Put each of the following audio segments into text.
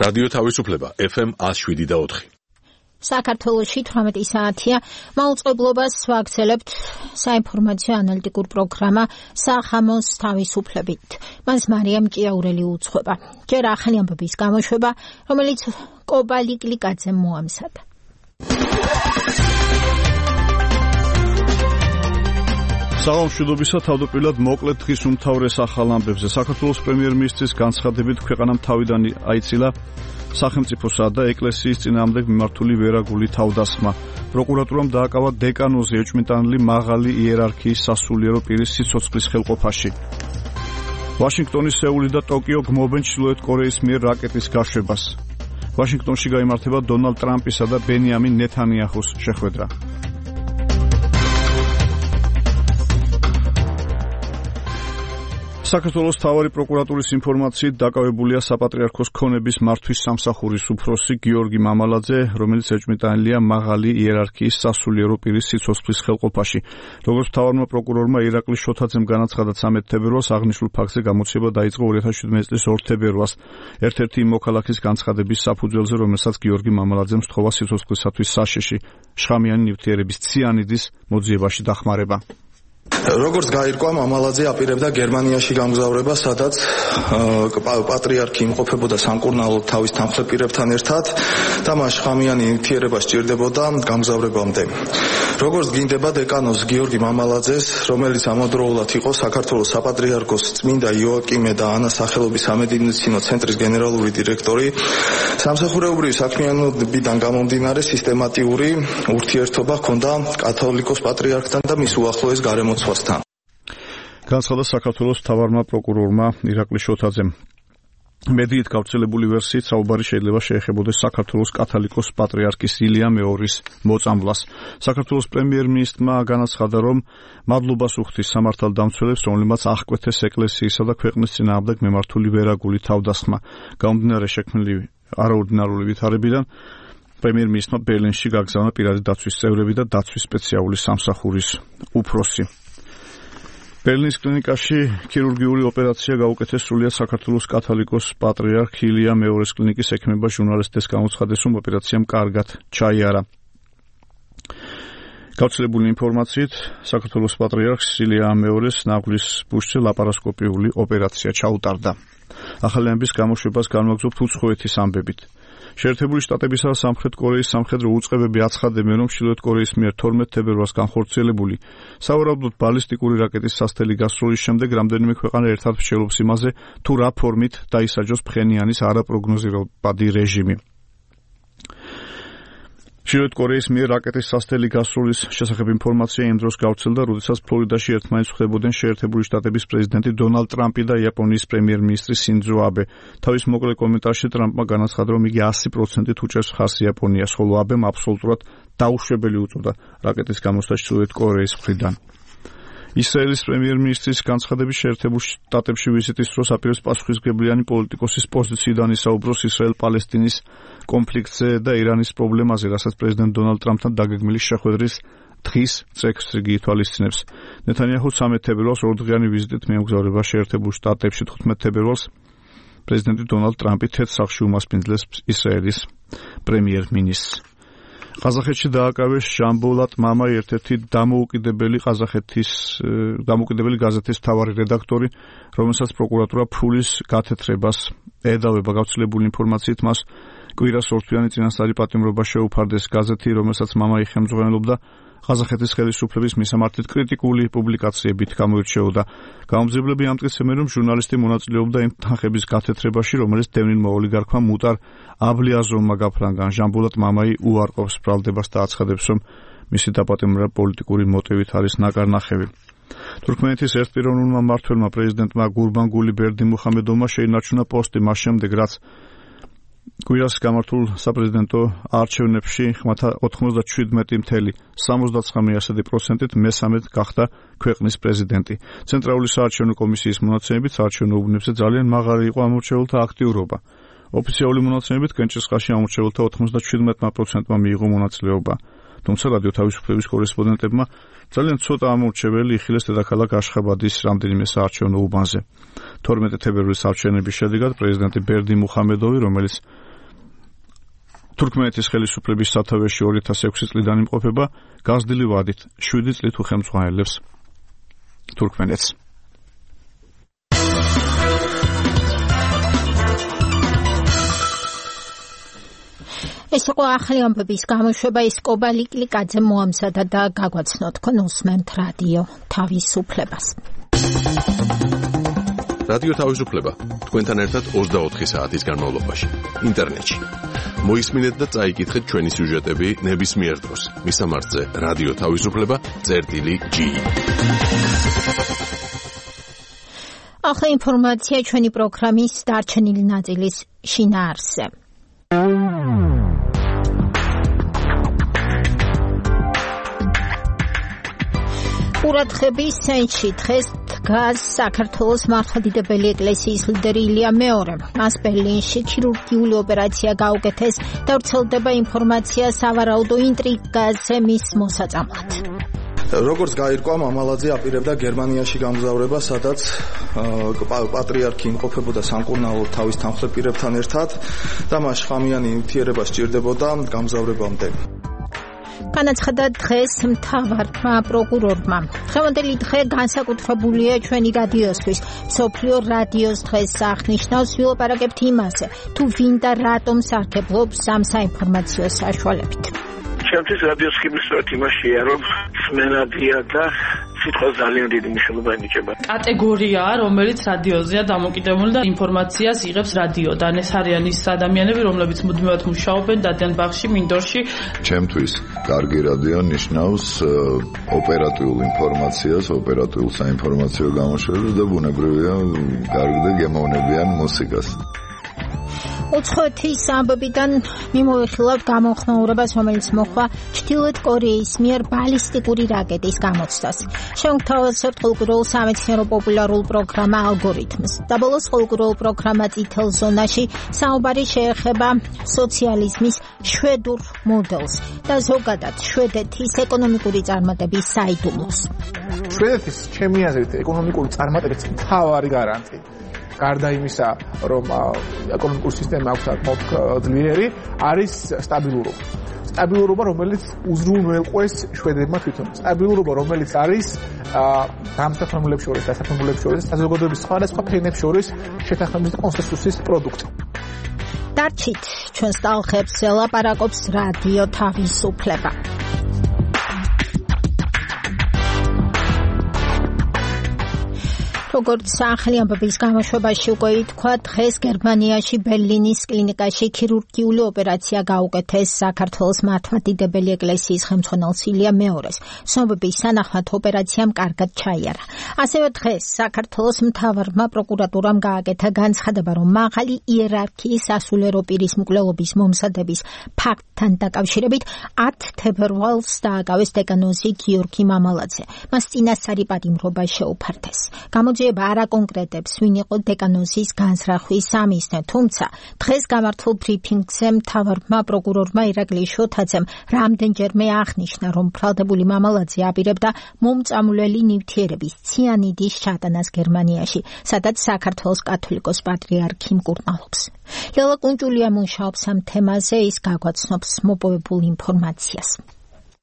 რადიო თავისუფლება FM 107.4. საქართველოში 18 საათია. მაუწყებლობას ვაგრძელებთ საინფორმაციო ანალიტიკურ პროგრამა სახამოს თავისუფლებით. მას მარიამ ჭიაურელი უძღვება. ჯერ ახალი ამბების გამოშვება, რომელიც კობალი კლიკაძემ მოამზადა. საღამოშიდობისა თავდაპირველად მოკლედ დღის უმთავრეს ახალ ამბებზე. საქართველოს პრემიერ-მინისტრის განცხადებით ქვეყანამ თავიდან აიცილა სახელმწიფოსა და ეკლესიის წინააღმდეგ მიმართული ვერაგული თავდასხმა. პროკურატურამ დააკავა დეკანოზე ეჭვმიტანილი მაღალი იერარქიის სასულიერო პირის სიცოცხლის ხელყოფაში. ვაშინგტონი, სეული და ტოკიო გმობენ ჩრდილოეთ კორეის მიერ რაკეტის გაშვებას. ვაშინგტონში გაიმართება დონალდ ტრამპისა და ბენიამინ ნეთანიაჰუს შეხვედრა. საქართველოს მთავარი პროკურატურის ინფორმაციით დაკავებულია საპატრიარქოს ქონების მართვის სამსახურის უფროსი გიორგი მამალაძე, რომელიც ეჭვმიტანილია მაღალი იერარქიის სასულიერო პირის სიცოცხლის ხელყოფაში. როგორც მთავარმა პროკურორმა ირაკლი შოთაძემ განაცხადა 13 თებერვალს, აღნიშნულ ფაქტზე გამოცემა დაიწყო 2017 წლის 2 თებერვალს. ერთ-ერთი იმ მოქალაქის განცხადების საფუძველზე, რომელსაც გიორგი მამალაძემ სთხოვა სიცოცხლისათვის საშიში შხამიანი ნივთიერების ციანიდის მოძიებაში დახმარება. როგორც გაირკვა, მამალაძე აპირებდა გერმანიაში გამგზავრება, სადაც პატრიარქი იმყოფებოდა სამკურნალოდ თავის თანხმდეპირებთან ერთად და მას შხამიანი ნივთიერება სჭირდებოდა გამგზავრებამდე. როგორც გინდება დეკანოს გიორგი მამალაძეს, რომელიც ამავდროულად იყო საქართველოს საპატრიარქოს წმინდა იოაკიმე და ანას სახელობის სამედიცინო ცენტრის გენერალური დირექტორი, სამსახურეობრივი საქმიანობიდან გამომდინარე სისტემატიური ურთიერთობა ჰქონდა კათოლიკოს პატრიარქთან და მის უახლოეს გარემოცვასთან. განცხადა საქართველოს მთავარმა პროკურორმა ირაკლი შოთაძემ. მედიით გავრცელებული ვერსიით საუბარი შეიძლება შეეხებოდეს საქართველოს კათოლიკოს პატრიარქის ილია მეორის მოწამვლას. საქართველოს პრემიერ-მინისტრმა განაცხადა, რომ მადლობას უხდის სამართალდამცველებს, რომლებმაც აღკვეთეს ეკლესიისა და ქვეყნის წინააღმდეგ მიმართული ვერაგული თავდასხმა. გამომდინარე შექმნილი არაორდინარული ვითარებიდან პრემიერ-მინისტრმა ბერლინში გაგზავნა პირადი დაცვის წევრები და დაცვის სპეციალური სამსახურის უფროსი. ბერლინის კლინიკაში ქირურგიული ოპერაცია გაუკეთეს სრულიად საქართველოს კათოლიკოს პატრიარქ ილია მეორის კლინიკის ექიმებმა ჟურნალისტებს გამოცხადეს, რომ ოპერაციამ კარგად ჩაიარა. გავრცელებული ინფორმაციით, საქართველოს პატრიარქს ილია მეორის ნაღვლის ბუშზე ლაპარასკოპიული ოპერაცია ჩაუტარდა. ახალი ამბის გამოშვებას განვაგრძობთ უცხოეთის ამბებით. შეერთებული შტატებისა და სამხრეთ კორეის სამხედრო უწყებები აცხადებენ, რომ ჩრდილოეთ კორეის მიერ 12 თებერვალს განხორციელებული სავარაუდოდ ბალისტიკური რაკეტის სასტელი გასროლის შემდეგ რამდენიმე ქვეყანა ერთად მსჯელობს იმაზე, თუ რა ფორმით დაისაჯოს ფხენიანის არაპროგნოზირებადი რეჟიმი. ჩრდილოეთ კორეის მიერ რაკეტის სასტელი გასროლის შესახებ ინფორმაცია იმ დროს გავრცელდა, როდესაც ფლორიდაში ერთმანეთს ხვდებოდნენ შეერთებული შტატების პრეზიდენტი დონალდ ტრამპი და იაპონიის პრემიერ-მინისტრი სინძო აბე. თავის მოკლე კომენტარში ტრამპმა განაცხადა, რომ იგი 100%-ით უჭერს ხარს იაპონიას, ხოლო აბემ აბსოლუტურად დაუშვებელი უწოდა რაკეტის გამოსვლა ჩრდილოეთ კორეის მხრიდან. ისრაელის პრემიერ-მინისტრის განცხადების შეერთებულ შტატებში ვიზიტის დროს აპირებს პასუხისმგებლიანი პოლიტიკოსის პოზიციიდან ისაუბროს ისრაელ-პალესტინის კონფლიქტზე და ირანის პრობლემაზე, რასაც პრეზიდენტ დონალდ ტრამპთან დაგეგმილი შეხვედრის დღის წესრიგი ითვალისწინებს. ნეთანიაჰუ 13 თებერვალს ორდღიანი ვიზიტით მიემგზავრება შეერთებულ შტატებში. 15 თებერვალს პრეზიდენტი დონალდ ტრამპი თეთრ სახლში უმასპინძლებს ისრაელის პრემიერ-მინისტრს. ყაზახეთში დააკავეს ჟამბოლატ მამაი, ერთ-ერთი დამოუკიდებელი გაზეთის მთავარი რედაქტორი, რომელსაც პროკურატურა ფულის გათეთრებას ედავება. გავრცელებული ინფორმაციით მას კვირას ორთვიანი წინასწარი პატიმრობა შეუფარდეს. გაზეთი, რომელსაც მამაი ხელმძღვანელობდა, ყაზახეთის ხელისუფლების მისამართით კრიტიკული პუბლიკაციებით გამოირჩეოდა. გამომძიებლები ამტკიცებენ, რომ ჟურნალისტი მონაწილეობდა იმ თანხების გათეთრებაში, რომელიც დევნილმა ოლიგარქმა მუტარ აბლიაზოვმა გაფრანგან. ჟამბოლატ მამაი უარყოფს ბრალდებას და აცხადებს, რომ მისი დაპატიმრება პოლიტიკური მოტივით არის ნაკარნახევი. თურქმენეთის ერთპიროვნულმა მმართველმა პრეზიდენტმა გურბანგული ბერდიმუხამედოვმა შეინარჩუნა პოსტი მას შემდეგ, რაც კვირას გამართულ საპრეზიდენტო არჩევნებში ხმათა 97.79%-ით მესამედ გახდა ქვეყნის პრეზიდენტი. ცენტრალური საარჩევნო კომისიის მონაცემებით საარჩევნო უბნებზე ძალიან მაღალი იყო ამორჩეულთა აქტიურობა. ოფიციალური მონაცემებით კენჭისყრაში ამორჩეულთა 97%-მა მიიღო მონაწილეობა. თუმცა რადიო თავისუფლების კორესპონდენტებმა ძალიან ცოტა ამორჩეველი იხილეს დედაქალაქ აშხაბადის რამდენიმე საარჩევნო უბანზე. 12 თებერვლის არჩევნების შედეგად პრეზიდენტი ბერდი მუხამედოვი, რომელიც თურქმენეთის ხელისუფლების სათავეში 2006 წლიდან იმყოფება გაზრდილი ვადით 7 წლით უხელმძღვანელებს თურქმენეთს. ეს იყო ახალი ამბების გამოშვება. ის კობალი კლიკაძე მოამზადა და გაგვაცნო თქვენ უსმენთ რადიო თავისუფლებას. რადიო თავისუფლება თქვენთან ერთად 24 საათის განმავლობაში ინტერნეტში. მოისმინეთ და წაიკითხეთ ჩვენი სიუჟეტები ნებისმიერ დროს. მისამართზე რადიო თავისუფლება.gi. ახლა ინფორმაცია ჩვენი პროგრამის დარჩენილი ნაწილის შინაარსზე. ყურადღების ცენტრში დღეს დგას საქართველოს მართლმადიდებელი ეკლესიის ლიდერი ილია მეორე. მას ბერლინში ქირურგიული ოპერაცია გაუკეთეს და ვრცელდება ინფორმაცია სავარაუდო ინტრიგაზე მის მოსაწამლად. როგორც გაირკვა, მამალაძე აპირებდა გერმანიაში გამგზავრება, სადაც პატრიარქი იმყოფებოდა სამკურნალო თავის თანხმლებპირებთან ერთად და მას ხამიანი ნივთიერება სჭირდებოდა გამგზავრებამდე. განაცხადა დღეს მთავარმა პროკურორმა. დღევანდელი დღე განსაკუთრებულია ჩვენი რადიოსთვის. მსოფლიო რადიოს დღეს აღნიშნავს ვილაპარაკებთ იმაზე, თუ ვინ და რატომ სარგებლობს ამ საინფორმაციო საშუალებით. ჩემთვის რადიოს ხიბისურად იმაშია, რომ სმენადია და სიტყვა ძალიან დიდი მნიშვნელობა ენიჭება. კატეგორიაა, რომელიც რადიოზეა დამოკიდებული და ინფორმაციას იღებს რადიოდან. ეს არიან ის ადამიანები, რომლებიც მუდმივად მუშაობენ დადიან ბაღში, მინდორში. ჩემთვის კარგი რადიო ნიშნავს ოპერატიულ ინფორმაციას, ოპერატიულ საინფორმაციო გამოშვებას და ბუნებრივია კარგი და გემოვნებიან მუსიკას. უცხოეთის ამბებიდან მიმოვიხილავთ გამოხმაურებას, რომელიც მოხდა ჩრდილოეთ კორეის მიერ ბალისტიკური რაკეტის გამოცდას. შევთავაზებთ ყოლგურულ სამეცნიერო პოპულარულ პროგრამა ალგორითმს. და ბოლოს ყოლგურულ პროგრამა წითელ ზონაში საუბარი შეეხება სოციალიზმის შვედურ მოდელს და ზოგადად შვედეთის ეკონომიკური წარმატების საიდუმლოს. შვედეთის ჩემი აზრით ეკონომიკური წარმატების მთავარი გარანტი გარდა იმისა, რომ ეკონომიკური სისტემა აქვს ძლიერი, არის სტაბილურობა. სტაბილურობა, რომელიც უზრუნველყვეს შვედებმა თვითონ. სტაბილურობა, რომელიც არის დამსახურებულებს შორის, დასახურებულებს შორის, საზოგადოების სხვადასხვა ფენებს შორის შეთანხმების კონსენსუსის პროდუქტი. დარჩით ჩვენს ტალღებს ელაპარაკობს რადიო თავისუფლება. როგორც ახალი ამბების გამოშვებაში უკვე ითქვა, დღეს გერმანიაში ბერლინის კლინიკაში ქირურგიული ოპერაცია გაუკეთეს საქართველოს მართლმადიდებელი ეკლესიის ხელმძღვანელს ილია მეორეს. ცნობების თანახმად ოპერაციამ კარგად ჩაიარა. ასევე დღეს საქართველოს მთავარმა პროკურატურამ გააკეთა განცხადება, რომ მაღალი იერარქიის სასულიერო პირის მკვლელობის მომზადების ფაქტთან დაკავშირებით 10 თებერვალს დააკავეს დეკანოზი გიორგი მამალაძე. მას წინასწარი პატიმრობა შეუფარდეს. არა კონკრეტებს, ვინ იყო დეკანოზის განზრახვის სამიზნე, თუმცა დღეს გამართულ ბრიფინგზე მთავარმა პროკურორმა ირაკლი შოთაძემ რამდენჯერმე აღნიშნა, რომ ბრალდებული მამალაძე აპირებდა მომწამვლელი ნივთიერების ციანიდის ჩატანას გერმანიაში, სადაც საქართველოს კათოლიკოს პატრიარქი მკურნალობს. ლელა კუნჭულია მუშაობს ამ თემაზე, ის გაგვაცნობს მოპოვებულ ინფორმაციას.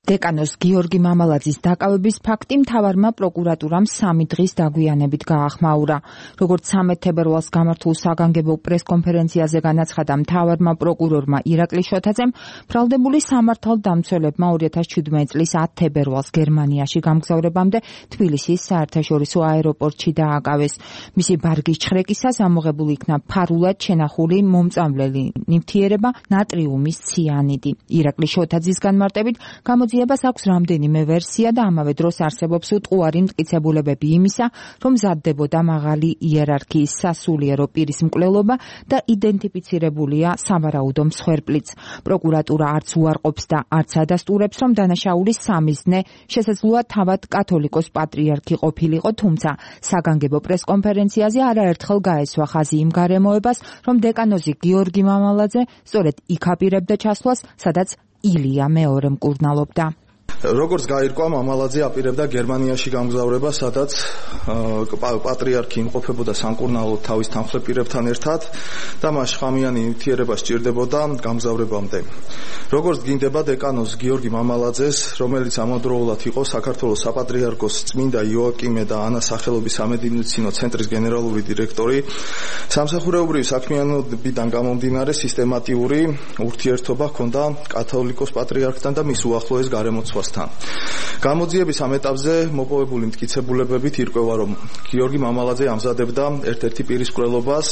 დეკანოს გიორგი მამალაძის დაკავების ფაქტი მთავარმა პროკურატურამ 3 დღის დაგვიანებით გაახმაურა. როგორც 13 თებერვალს გამართულ საგანგებო პრესკონფერენციაზე განაცხადა მთავარმა პროკურორმა ირაკლი შოთაძემ, ბრალდებული სამართალდამცველებმა 2017 წლის 10 თებერვალს გერმანიაში გამგზავრებამდე თბილისის საერთაშორისო აეროპორტში დააკავეს. მისი ბარგის ჩხრეკისას ამოღებული იქნა ფარულად შენახული მომწამვლელი ნივთიერება ნატრიუმის ციანიდი. ირაკლი შოთაძის განმარტებით გამოძიებას აქვს რამდენიმე ვერსია და ამავე დროს არსებობს უტყუარი მტკიცებულებები იმისა, რომ მზადდებოდა მაღალი იერარქიის სასულიერო პირის მკვლელობა და იდენტიფიცირებულია სავარაუდო მსხვერპლიც. პროკურატურა არც უარყოფს და არც ადასტურებს, რომ დანაშაულის სამიზნე შესაძლოა თავად კათოლიკოს პატრიარქი ყოფილიყო, თუმცა საგანგებო პრესკონფერენციაზე არაერთხელ გაესვა ხაზი იმ გარემოებას, რომ დეკანოზი გიორგი მამალაძე სწორედ იქ აპირებდა ჩასვლას, სადაც ილია მეორე მკურნალობდა. როგორც გაირკვა, მამალაძე აპირებდა გერმანიაში გამგზავრება, სადაც პატრიარქი იმყოფებოდა სამკურნალოდ თავის თანხლεπირებთან ერთად და მას შხამიანი ნივთიერება სჭირდებოდა გამგზავრებამდე. როგორც გინდება დეკანოს გიორგი მამალაძეს, რომელიც ამავდროულად იყო საქართველოს საპატრიარქოს წმინდა იოაკიმე და ანას სახელობის სამედიცინო ცენტრის გენერალური დირექტორი, სამსახურეობრივი საქმიანობიდან გამომდინარე სისტემატიური ურთიერთობა ჰქონდა კათოლიკოს პატრიარქთან და მის უახლოეს გარემოცვასთან. გამოძიების ამ ეტაპზე მოპოვებული მტკიცებულებებით ირკვევა, რომ გიორგი მამალაძე ამზადებდა ერთ-ერთი პირის მკვლელობას,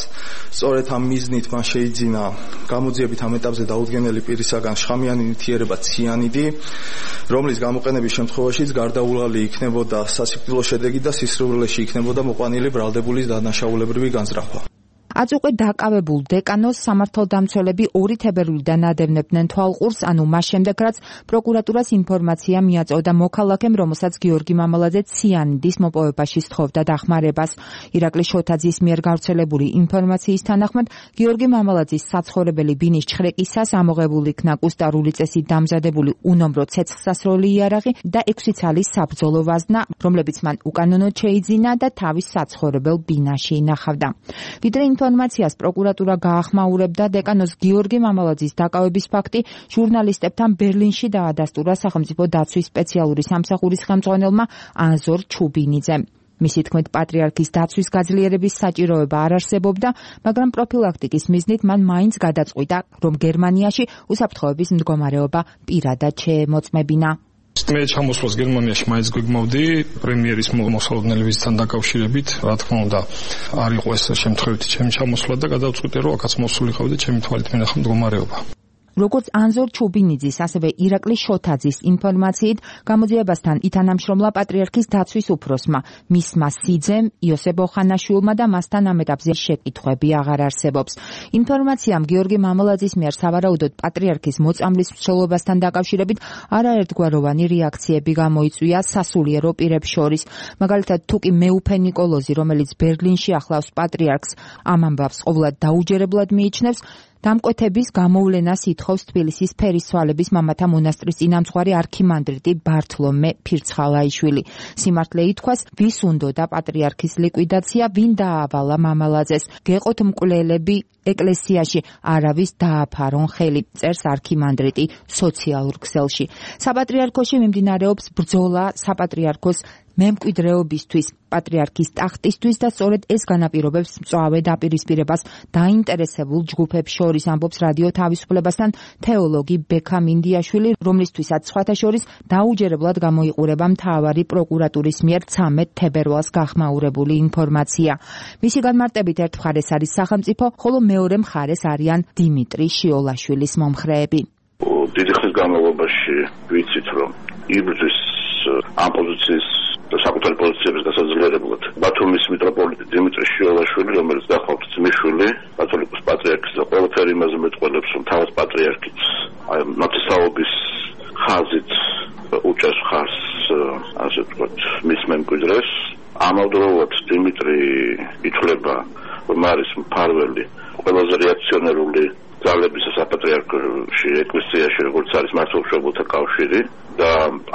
სწორედ ამ მიზნით მან შეიძინა გამოძიებით ამ ეტაპზე დაუდგენელი პირისაგან შხამიანი ნივთიერება ციანიდი, რომლის გამოყენების შემთხვევაშიც გარდაუვალი იქნებოდა სასიკვდილო შედეგი და სისხლში იქნებოდა მოყვანილი ბრალდებულის დანაშაულებრივი განზრახვა. აწუყე დაკავებულ დეკანოს სამართალდამცველები 2 თებერვლიდან ადევნებდნენ თვალყურს, ანუ მას შემდეგ, რაც პროკურატურას ინფორმაცია მიაწოდა მოქალაქემ, რომელსაც გიორგი მამალაძე ციანიდის მოპოვებაში სთხოვდა დახმარებას. ირაკლი შოთაძის მიერ გავრცელებული ინფორმაციის თანახმად, გიორგი მამალაძის საცხოვრებელი ბინის ჩხრეკისას ამოღებული იქნა კუსტარული წესით დამზადებული უნომრო ცეცხლსასროლი იარაღი და 6 ცალის საბრძოლო ვაზნა, რომლებიც მან უკანონოდ შეიძინა და თავის საცხოვრებელ ბინაში ინახავდა. ვიდრე ინფორმაციას პროკურატურა გაახმაურებდა, დეკანოს გიორგი მამალაძის დაკავების ფაქტი ჟურნალისტებთან ბერლინში დაადასტურა სახელმწიფო დაცვის სპეციალური სამსახურის ხელმძღვანელმა ანზორ ჩუბინიძემ. მისი თქმით, პატრიარქის დაცვის გაძლიერების საჭიროება არ არსებობდა, მაგრამ პროფილაქტიკის მიზნით მან მაინც გადაწყვიტა, რომ გერმანიაში უსაფრთხოების მდგომარეობა პირადად შეემოწმებინა. მე ჩამოსვლას გერმანიაში მაინც გვიგმოვდი პრემიერის მოსალოდნელებისთან დაკავშირებით, რა თქმა უნდა, არ იყო ეს შემთხვევითი ჩემი ჩამოსვლა და გადავწყვიტე, რომ აქაც მოსულიყავდი ჩემი თვალით მენახა მდგომარეობა. როგორც ანზორ ჩუბინიძის, ასევე ირაკლი შოთაძის ინფორმაციით, გამოძიებასთან ითანამშრომლა პატრიარქის დაცვის უფროსმა, მისმა სიძემ, იოსებ ოხანაშვილმა და მასთან ამ ეტაპზე შეკითხვები აღარ არსებობს. ინფორმაციამ გიორგი მამალაძის მიერ სავარაუდოდ პატრიარქის მოწამვლის მსვლელობასთან დაკავშირებით არაერთგვაროვანი რეაქციები გამოიწვია სასულიერო პირებს შორის. მაგალითად, თუკი მეუფე ნიკოლოზი, რომელიც ბერლინში ახლავს პატრიარქს, ამ ამბავს ყოვლად დაუჯერებლად მიიჩნევს, დამკვეთების გამოვლენას ითხოვს თბილისის ფერისცვალების მამათა მონასტრის წინამძღვარი არქიმანდრიტი ბართლომე ფირცხალაიშვილი. სიმართლე ითქვას, ვის უნდოდა პატრიარქის ლიკვიდაცია, ვინ დაავალა მამალაძეს. გეყოთ მკვლელები ეკლესიაში, არავის დააფარონ ხელი, წერს არქიმანდრიტი სოციალურ ქსელში. საპატრიარქოში მიმდინარეობს ბრძოლა საპატრიარქოს მემკვიდრეობისთვის, პატრიარქის ტახტისთვის და სწორედ ეს განაპირობებს მწვავე დაპირისპირებას დაინტერესებულ ჯგუფებს შორის, ამბობს რადიო თავისუფლებასთან თეოლოგი ბექა მინდიაშვილი, რომლისთვისაც სხვათა შორის დაუჯერებლად გამოიყურება მთავარი პროკურატურის მიერ 13 თებერვალს გახმაურებული ინფორმაცია. მისი განმარტებით ერთ მხარეს არის სახელმწიფო, ხოლო მეორე მხარეს არიან დიმიტრი შიოლაშვილის მომხრეები. დიდი ხნის განმავლობაში ვიცით, რომ იბრძვის ამ პოზიციის საკუთარი პოზიციების გასაძლიერებლად ბათუმის მიტროპოლიტი დიმიტრი შიოლაშვილი, რომელიც გახლავთ ძმისშვილი კათოლიკოს პატრიარქის და ყველაფერი იმაზე მეტყველებს, რომ თავად პატრიარქიც ნათესაობის ხაზით უჭერს ხარს, ასე ვთქვათ, მის მემკვიდრეს. ამავდროულად დიმიტრი ითვლება, რომ არის მფარველი ყველაზე რეაქციონერული ძალების საპატრიარქოში, ეკლესიაში, როგორც არის მართლმსაჯულთა კავშირი და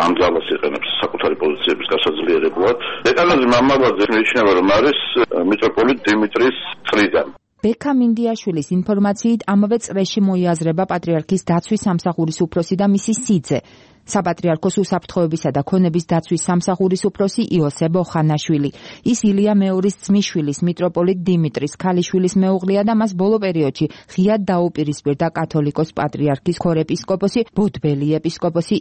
ამ ძალას იყენებს საკუთარი პოზიციების გასაძლიერებლად. დეკანოზი მამალაძე მიიჩნევა, რომ არის მიტროპოლიტ დიმიტრის წრიდან. ბექა მინდიაშვილის ინფორმაციით ამავე წრეში მოიაზრება პატრიარქის დაცვის სამსახურის უფროსი და მისი სიძე. საპატრიარქოს უსაფრთხოებისა და ქონების დაცვის სამსახურის უფროსი იოსებ ოხანაშვილი. ის ილია მეორის ძმისშვილის მიტროპოლიტ დიმიტრის ქალიშვილის მეუღლეა და მას ბოლო პერიოდში ღიად დაუპირისპირდა კათოლიკოს პატრიარქის ქორეპისკოპოსი, ბოდბელი ეპისკოპოსი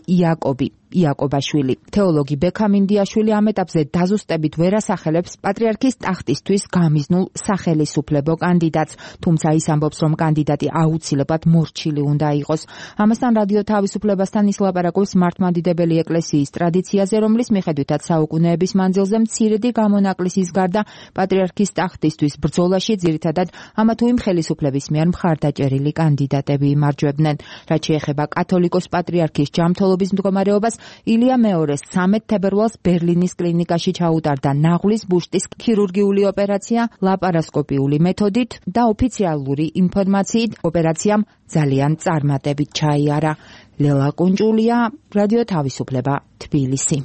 იაკობაშვილი. თეოლოგი ბექა მინდიაშვილი ამ ეტაპზე დაზუსტებით ვერ ასახელებს პატრიარქის ტახტისთვის გამიზნულ სახელისუფლებო კანდიდატს, თუმცა ის ამბობს, რომ კანდიდატი აუცილებლად მორჩილი უნდა იყოს. ამასთან რადიო თავისუფლებასთან ის ლაპარაკობს მართლმადიდებელი ეკლესიის ტრადიციაზე, რომლის მიხედვითაც საუკუნეების მანძილზე მცირედი გამონაკლისის გარდა პატრიარქის ტახტისთვის ბრძოლაში ძირითადად ამა თუ იმ ხელისუფლების მიერ მხარდაჭერილი კანდიდატები იმარჯვებდნენ. რაც შეეხება კათოლიკოს პატრიარქის ჯანმრთელობის მდგომარეობას, ილია მეორეს 13 თებერვალს ბერლინის კლინიკაში ჩაუტარდა ნაღლის ბუშტის ქირურგიული ოპერაცია ლაპარასკოპიული მეთოდით და ოფიციალური ინფორმაციით ოპერაციამ ძალიან წარმატებით ჩაიარა. ლელა კუნჭულია, რადიო თავისუფლება, თბილისი.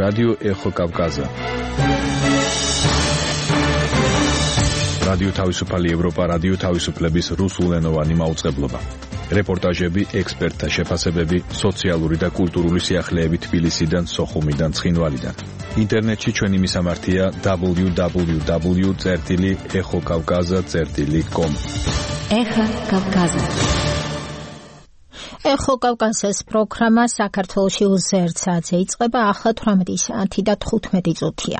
რადიო ეხო კავკაზა. რადიო თავისუფალი ევროპა, რადიო თავისუფლების რუსულენოვანი მაუწყებლობა. რეპორტაჟები, ექსპერტთა შეფასებები, სოციალური და კულტურული სიახლეები თბილისიდან, სოხუმიდან, ცხინვალიდან. ინტერნეტში ჩვენი მისამართია www.exokavkaza.com. ეხა კავკაზა. ეხო კავკასიის პროგრამა საქართველოში უზერცაძე იწყება ახლა 18 საათი და 15 წუთია.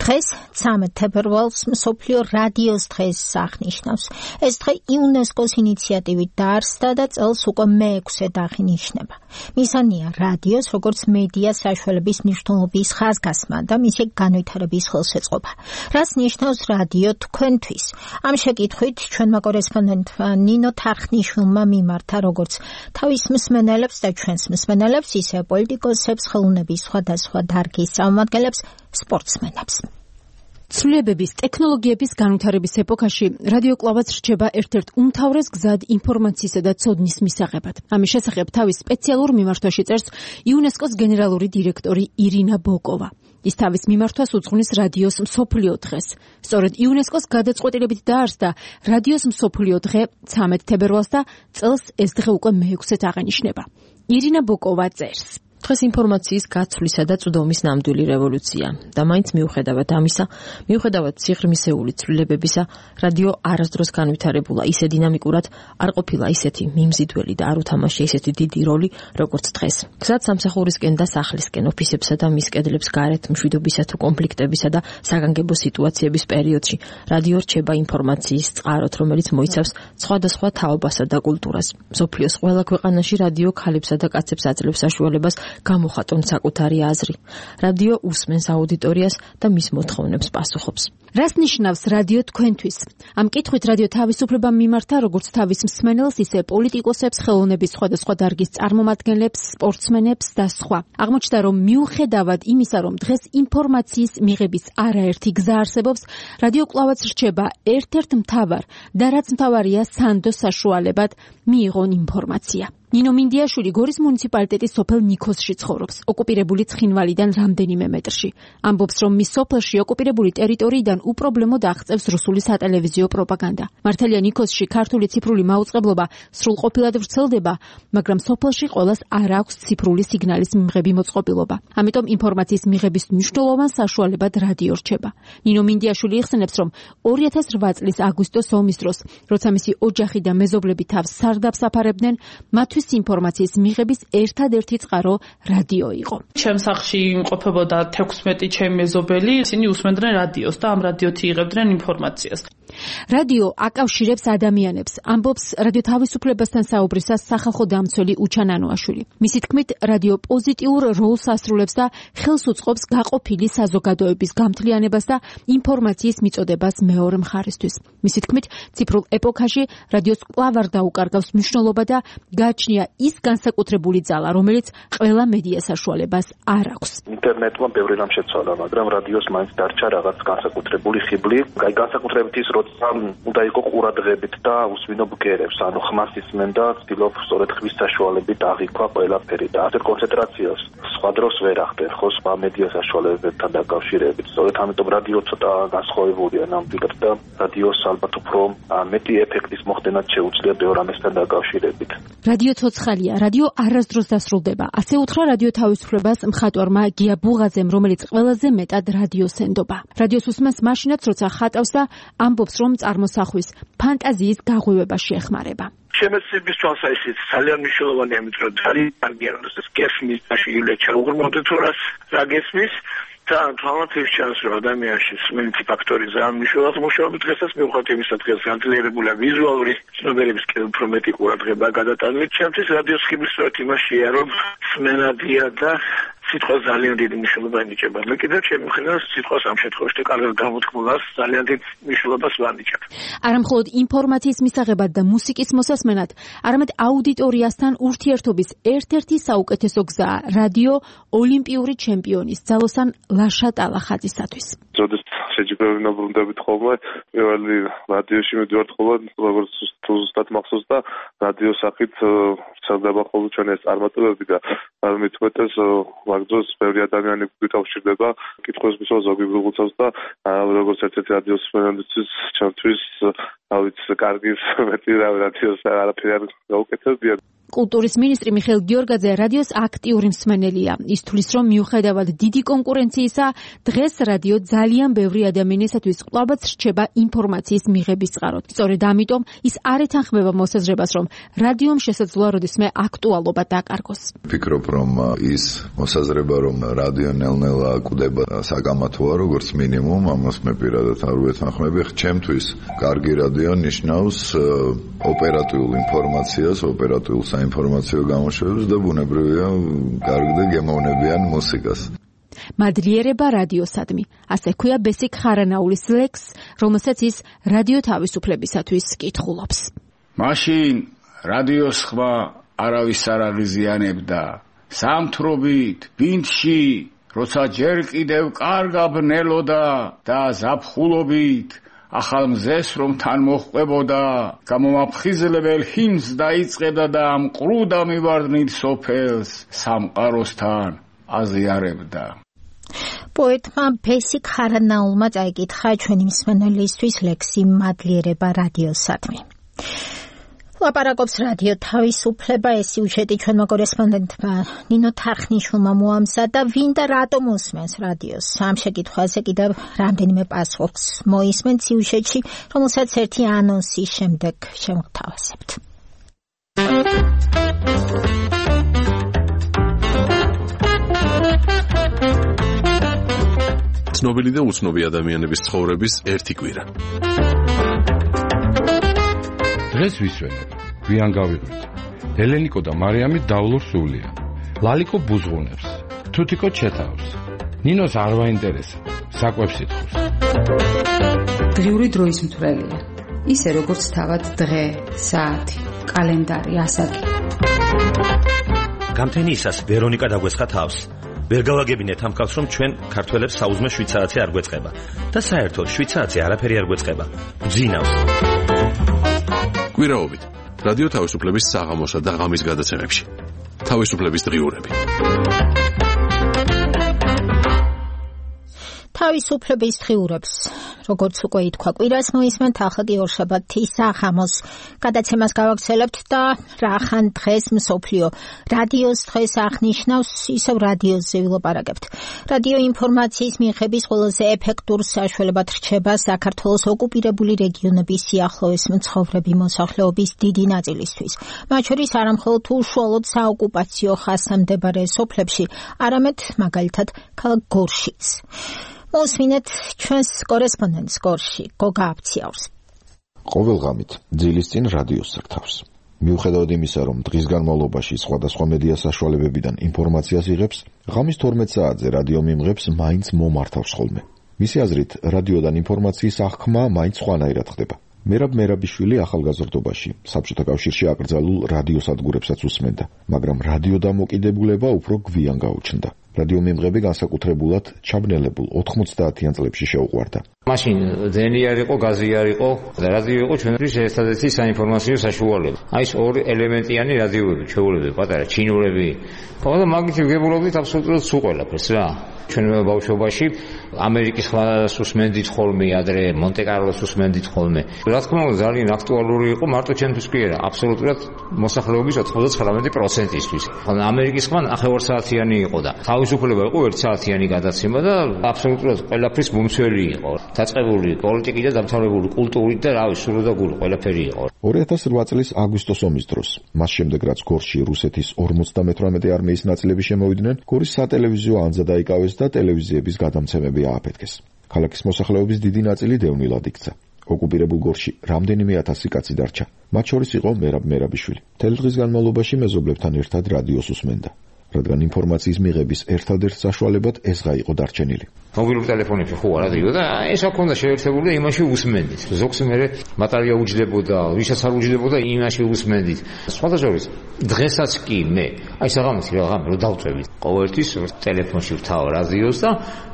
დღეს 13 თებერვალს მსოფლიო რადიოს დღეს აღნიშნავს. ეს დღე იუნესკოს ინიციატივით დაარსდა და წელს უკვე მე-6-ად აღინიშნება. მისანია რადიოს როგორც მედია საშუალების მნიშვნელობის ხაზგასმა და მისი განვითარების ხელშეწყობა. რას ნიშნავს რადიო თქვენთვის? ამ შეკითხვით ჩვენმა კორესპონდენტმა ნინო თარხნიშვილმა მიმართა როგორც თავის მსმენელებს და ჩვენს მსმენელებს, ისე პოლიტიკოსებს, ხელოვნების სხვადასხვა დარგის წარმომადგენლებს, სპორტსმენებს. ცვლილებების, ტექნოლოგიების განვითარების ეპოქაში რადიო კვლავაც რჩება ერთ-ერთ უმთავრეს გზად ინფორმაციისა და ცოდნის მისაღებად. ამის შესახებ თავის სპეციალურ მიმართვაში წერს იუნესკოს გენერალური დირექტორი ირინა ბოკოვა. ის თავის მიმართვას უძღვნის რადიოს მსოფლიო დღეს. სწორედ იუნესკოს გადაწყვეტილებით დაარსდა რადიოს მსოფლიო დღე 13 თებერვალს და წელს ეს დღე უკვე მე-6-ად აღინიშნება. ირინა ბოკოვა წერს. დღეს ინფორმაციის გაცვლისა და წვდომის ნამდვილი რევოლუცია და მაინც მიუხედავად ამისა, მიუხედავად სიღრმისეული ცვლილებებისა, რადიო არასდროს განვითარებულა ისე დინამიკურად, არ ყოფილა ისეთი მიმზიდველი და არ უთამაშია ისეთი დიდი როლი, როგორც დღეს. გზად სამსახურისკენ და სახლისკენ, ოფისებსა და მის კედლებს გარეთ მშვიდობისა თუ კონფლიქტებისა და საგანგებო სიტუაციების პერიოდში, რადიო რჩება ინფორმაციის წყაროთ, რომელიც მოიცავს სხვადასხვა თაობასა და კულტურას. მსოფლიოს ყველა ქვეყანაში რადიო ქალებსა და კაცებს აძლევს საშუალებას გამოხატონ საკუთარი აზრი. რადიო უსმენს აუდიტორიას და მის მოთხოვნებს პასუხობს. რას ნიშნავს რადიო თქვენთვის? ამ კითხვით რადიო თავისუფლება მიმართა როგორც თავის მსმენელს, ისე პოლიტიკოსებს, ხელოვნების სხვადასხვა დარგის წარმომადგენლებს, სპორტსმენებს და სხვა. აღმოჩნდა, რომ მიუხედავად იმისა, რომ დღეს ინფორმაციის მიღების არაერთი გზა არსებობს, რადიო კვლავაც რჩება ერთ-ერთ მთავარ და რაც მთავარია სანდო საშუალებად მიიღონ ინფორმაცია. ნინო მინდიაშვილი გორის მუნიციპალიტეტის სოფელ ნიქოზში ცხოვრობს, ოკუპირებული ცხინვალიდან რამდენიმე მეტრში. ამბობს, რომ მის სოფელში ოკუპირებული ტერიტორიიდან უპრობლემოდ აღწევს რუსული სატელევიზიო პროპაგანდა. მართალია ნიქოზში ქართული ციფრული მაუწყებლობა სრულყოფილად ვრცელდება, მაგრამ სოფელში ყველას არ აქვს ციფრული სიგნალის მიღები მოწყობილობა. ამიტომ ინფორმაციის მიღების მნიშვნელოვან საშუალებად რადიო რჩება. ნინო მინდიაშვილი იხსენებს, რომ 2008 წლის აგვისტოს ომის დროს, როცა მისი ოჯახი და მეზობლები თავს სარდაფს აფარებდნენ, მათთვის ინფორმაციის მიღების ერთადერთი წყარო რადიო იყო. ჩემ სახლში იმყოფებოდა 16 ჩემი მეზობელი, ისინი უსმენდნენ რადიოს და ამ რადიოთი იღებდნენ ინფორმაციას. რადიო აკავშირებს ადამიანებს, ამბობს რადიო თავისუფლებასთან საუბრისას სახალხო დამცველი უჩან ანუაშვილი. მისი თქმით, რადიო პოზიტიურ როლს ასრულებს და ხელს უწყობს გაყოფილი საზოგადოების გამთლიანებას და ინფორმაციის მიწოდებას მეორე მხარისთვის. მისი თქმით, ციფრულ ეპოქაში რადიოს კვლავ არ დაუკარგავს მნიშვნელობა და გააჩნია ის განსაკუთრებული ძალა, რომელიც ყველა მედია საშუალებას არ აქვს. ინტერნეტმა ბევრი რამ შეცვალა, მაგრამ რადიოს მაინც დარჩა რაღაც განსაკუთრებული ხიბლი. განსაკუთრებით ის, როცა უნდა იყო ყურადღებით და უსვინო ბგერებს, ანუ ხმას ისმენ და ცდილობ სწორედ ხმის საშუალებით აღიქვა ყველაფერი და ასეთ კონცენტრაციას სხვა დროს ვერ ახდენ, ხო, სხვა მედია საშუალებებთან დაკავშირებით. სწორედ ამიტომ რადიო ცოტა განსხვავებულია ნამდვილად და რადიოს ალბათ უფრო მეტი ეფექტის მოხდენაც შეუძლია ბევრ ამასთან დაკავშირებით. რადიო ცოცხალია, რადიო არასდროს დასრულდება. ასე უთხრა რადიო თავისუფლებას მხატვარმა გია ბუღაძემ, რომელიც ყველაზე მეტად რადიოს ენდობა. რადიოს უსმენს მაშინაც, როცა ხატავს და ამბობს, რომ წარმოსახვის ფანტაზიის გაღვივება შეეხმარება. შემეცნების თვალსაზრისით ძალიან მნიშვნელოვანია, იმიტომ რომ ძალიან კარგია, რომ ეს გესმის და შეიძლება უღრმავდეთ რას რა გესმის და თვალსაზრისით ჩანს, რომ ადამიანში სმენითი ფაქტორი ძალიან მნიშვნელოვანი მუშაობა დღესაც მიუხედავად იმისა, დღეს განძლიერებულია ვიზუალური ცნობიერების უფრო მეტი ყურადღება გადატანილი. ჩემთვის რადიოს ხიბლის სწორედ იმაშია, რომ სმენადია და სიტყვა ძალიან დიდი მნიშვნელობა ენიჭება. მე კიდევ ჩემი მხრიდან სიტყვას ამ შემთხვევაში კარგად გამოთქმულას ძალიან დიდ მნიშვნელობას ვანიჭებ. არამხოლოდ ინფორმაციის მისაღებად და მუსიკის მოსასმენად, არამედ აუდიტორიასთან ურთიერთობის ერთ-ერთი საუკეთესო გზაა რადიო ოლიმპიური ჩემპიონის ძალოსან ლაშა ტალახაძისათვის. როდესაც შეჯი ბევრი ნაბრუნდებით ხოლმე. პირველი რადიოში მიდივართ ხოლმე, როგორც ზუსტად მახსოვს და რადიო სახით ვრცელდება ხოლმე ჩვენი ეს წარმატებები და მithumetes მაგ დროს ბევრი ადამიანი გვიკავშირდება, კითხვებს მისვა ზოგი ბრუღუცავს და როგორც ერთ-ერთი რადიოს მსმენელისთვის ჩემთვის ავიც კარგი მეტი რადიოს არაფერი არ გაუკეთებია. კულტურის მინისტრი მიხეილ გიორგაძე რადიოს აქტიური მსმენელია. ის თვლის, რომ მიუხედავად დიდი კონკურენციისა, დღეს რადიო ძალიან ბევრი ადამიანისათვის ყლავაც რჩება ინფორმაციის მიღების წყაროდ. სწორედ ამიტომ ის არ ეთანხმება მოსაზრებას, რომ რადიომ შესაძლოა როდისმე აქტუალობა დაკარგოს. ვფიქრობ, რომ ის მოსაზრება, რომ რადიო ნელ-ნელა კვდება საკამათოა, როგორც მინიმუმ, ამას მე პირადად არ ვეთანხმები. ჩემთვის კარგი რადიო ნიშნავს ოპერატიულ ინფორმაციას, ოპერატიულ საინფორმაციო გამოშვებას და ბუნებრივია კარგი და გემოვნებიან მუსიკას. მადლიერება რადიოსადმი. ასე ქვია ბესიკ ხარანაულის ლექს, რომელსაც ის რადიო თავისუფლებისათვის კითხულობს. მაშინ რადიოს ხმა არავის არ აღიზიანებდა. სამთრობით, ბინდში, როცა ჯერ კიდევ კარგაბნელოდა და ზაფხულობით ახალ მზეს რომ თან მოჰყვებოდა, გამომაფხიზლებელ ჰიმნს დაიწყებდა და მყრუდა მივარდნით სოფელს სამყაროსთან აზიარებდა. პოეტმა ბესიკ ხარანაულმა წაიკითხა ჩვენი მსმენელისთვის ლექსი მადლიერება რადიოსადმი. ლაპარაკობს რადიო თავისუფლება, ეს სიუჟეტი ჩვენმა კორესპონდენტმა ნინო თარხნიშვილმა მოამზადა, ვინ და რატომ უსმენს რადიოს. ამ შეკითხვაზე კიდევ რამდენიმე პასუხს მოისმენთ სიუჟეტში, რომელსაც ერთი ანონსის შემდეგ შევთავაზებთ. ცნობილი და უცნობი ადამიანების ცხოვრების ერთი კვირა. დღეს ვისვენებ, გვიან გავიღვით. ელენიკო და მარიამი დავლურ სულია. ლალიკო ბუზღუნებს, თუთიკო ჩეთავს. ნინოს არ ვაინტერესებს, საკვებს ითხოვს. დღიური დროის მთვრელია. ისე როგორც თავად დღე, საათი, კალენდარი, ასაკი. გამთენიისას ვერონიკა დაგვესხა თავს. ვერ გავაგებინეთ ამ ხალხს, რომ ჩვენ ქართველებს საუზმე 7 საათი არ გვეწყება და საერთოდ 7 საათი არაფერი არ გვეწყება. გძინავს. კვირაობით რადიო თავისუფლების საღამოსა და ღამის გადაცემებში. თავისუფლების დღიურები. თავისუფლების დღიურებს, როგორც უკვე ითქვა, კვირას მოისმენთ, ახლა კი ორშაბათის საღამოს გადაცემას გავაგრძელებთ და რახან დღეს მსოფლიო რადიოს დღეს აღნიშნავს, ისევ რადიოზე ვილაპარაკებთ. რადიო ინფორმაციის მიღების ყველაზე ეფექტურ საშუალებად რჩება საქართველოს ოკუპირებული რეგიონების სიახლოვეს მცხოვრები მოსახლეობის დიდი ნაწილისთვის. მათ შორის არა მხოლოდ უშუალოდ საოკუპაციო ხაზთან მდებარე სოფლებში, არამედ მაგალითად ქალაქ გორშიც. მოსმინეთ ჩვენს კორესპონდენტს გორში, გოგა აფციაურს. ყოველღამით ძილის წინ რადიოს სარდავს. მიუხედავად იმისა, რომ დღის განმავლობაში სხვადასხვა მედია საშუალებებიდან ინფორმაციას იღებს, ღამის 12 საათზე რადიო მიმღებს მაინც მომართავს ხოლმე. მისი აზრით, რადიოდან ინფორმაციის აღქმა მაინც სხვანაირად ხდება. მერაბ მერაბიშვილი ახალგაზრდობაში საბჭოთა კავშირში აკრძალულ რადიოსადგურებსაც უსმენდა, მაგრამ რადიო დამოკიდებულება უფრო გვიან გაუჩნდა. რადიო მიმღები განსაკუთრებულად ჩაბნელებულ 90-იან წლებში შეუყვარდა. მაშინ დენი არ იყო, გაზი არ იყო, რადიო იყო ჩვენთვის ერთადერთი საინფორმაციო საშუალება. აი ეს ორი ელემენტიანი რადიოები, ჩვეულებები, პატარა ჩინურები. ხოლმე მაგით ვგებულობდით აბსოლუტურად სულ ყველაფერს რა. ჩვენ ბავშვობაში ამერიკის ხმას უსმენდით ხოლმე, ადრე მონტე-კარლოს უსმენდით ხოლმე. რა თქმა უნდა, ძალიან აქტუალური იყო მარტო ჩვენთვის კი არა, აბსოლუტურად მოსახლეობის 99%-ისთვის. ხოლმე ამერიკის ხმა 9 საათიანი იყო და თავისუფლება იყო 1 საათიანი გადაცემა და აბსოლუტურად ყველაფრის მომცველი იყო. დაწყებული პოლიტიკით და დამთავრებული კულტურით და რავი, სრულდაგული ყველაფერი იყო. 2008 წლის აგვისტოს ომის დროს, მას შემდეგ რაც გორში რუსეთის 58 არმიის ნაწილები შემოვიდნენ, გორის სატელევიზიო ანძა დაიკავეს და ტელევიზიების გადამცემები ააფეთქეს. ქალაქის მოსახლეობის დიდი ნაწილი დევნილად იქცა. ოკუპირებულ გორში რამდენიმე ათასი კაცი დარჩა. მათ შორის იყო მერაბ მერაბიშვილი. მთელი დღის განმავლობაში მეზობლებთან ერთად რადიოს უსმენდა. რადგან ინფორმაციის მიღების ერთადერთ საშუალებად ესღა იყო დარჩენილი. მობილურ ტელეფონებში ხო რადიო და ეს აქონდა შეერთებული და იმაში უსმენდით. ზოგს მე ბატარეა უჯდებოდა, ვისაც არ უჯდებოდა, იმაში უსმენდით. სხვადასხვა დღესაც კი მე აი საღამოთი რაღაც რო დავწევით. ყოველთვის ტელეფონში ვთავ რადიოს და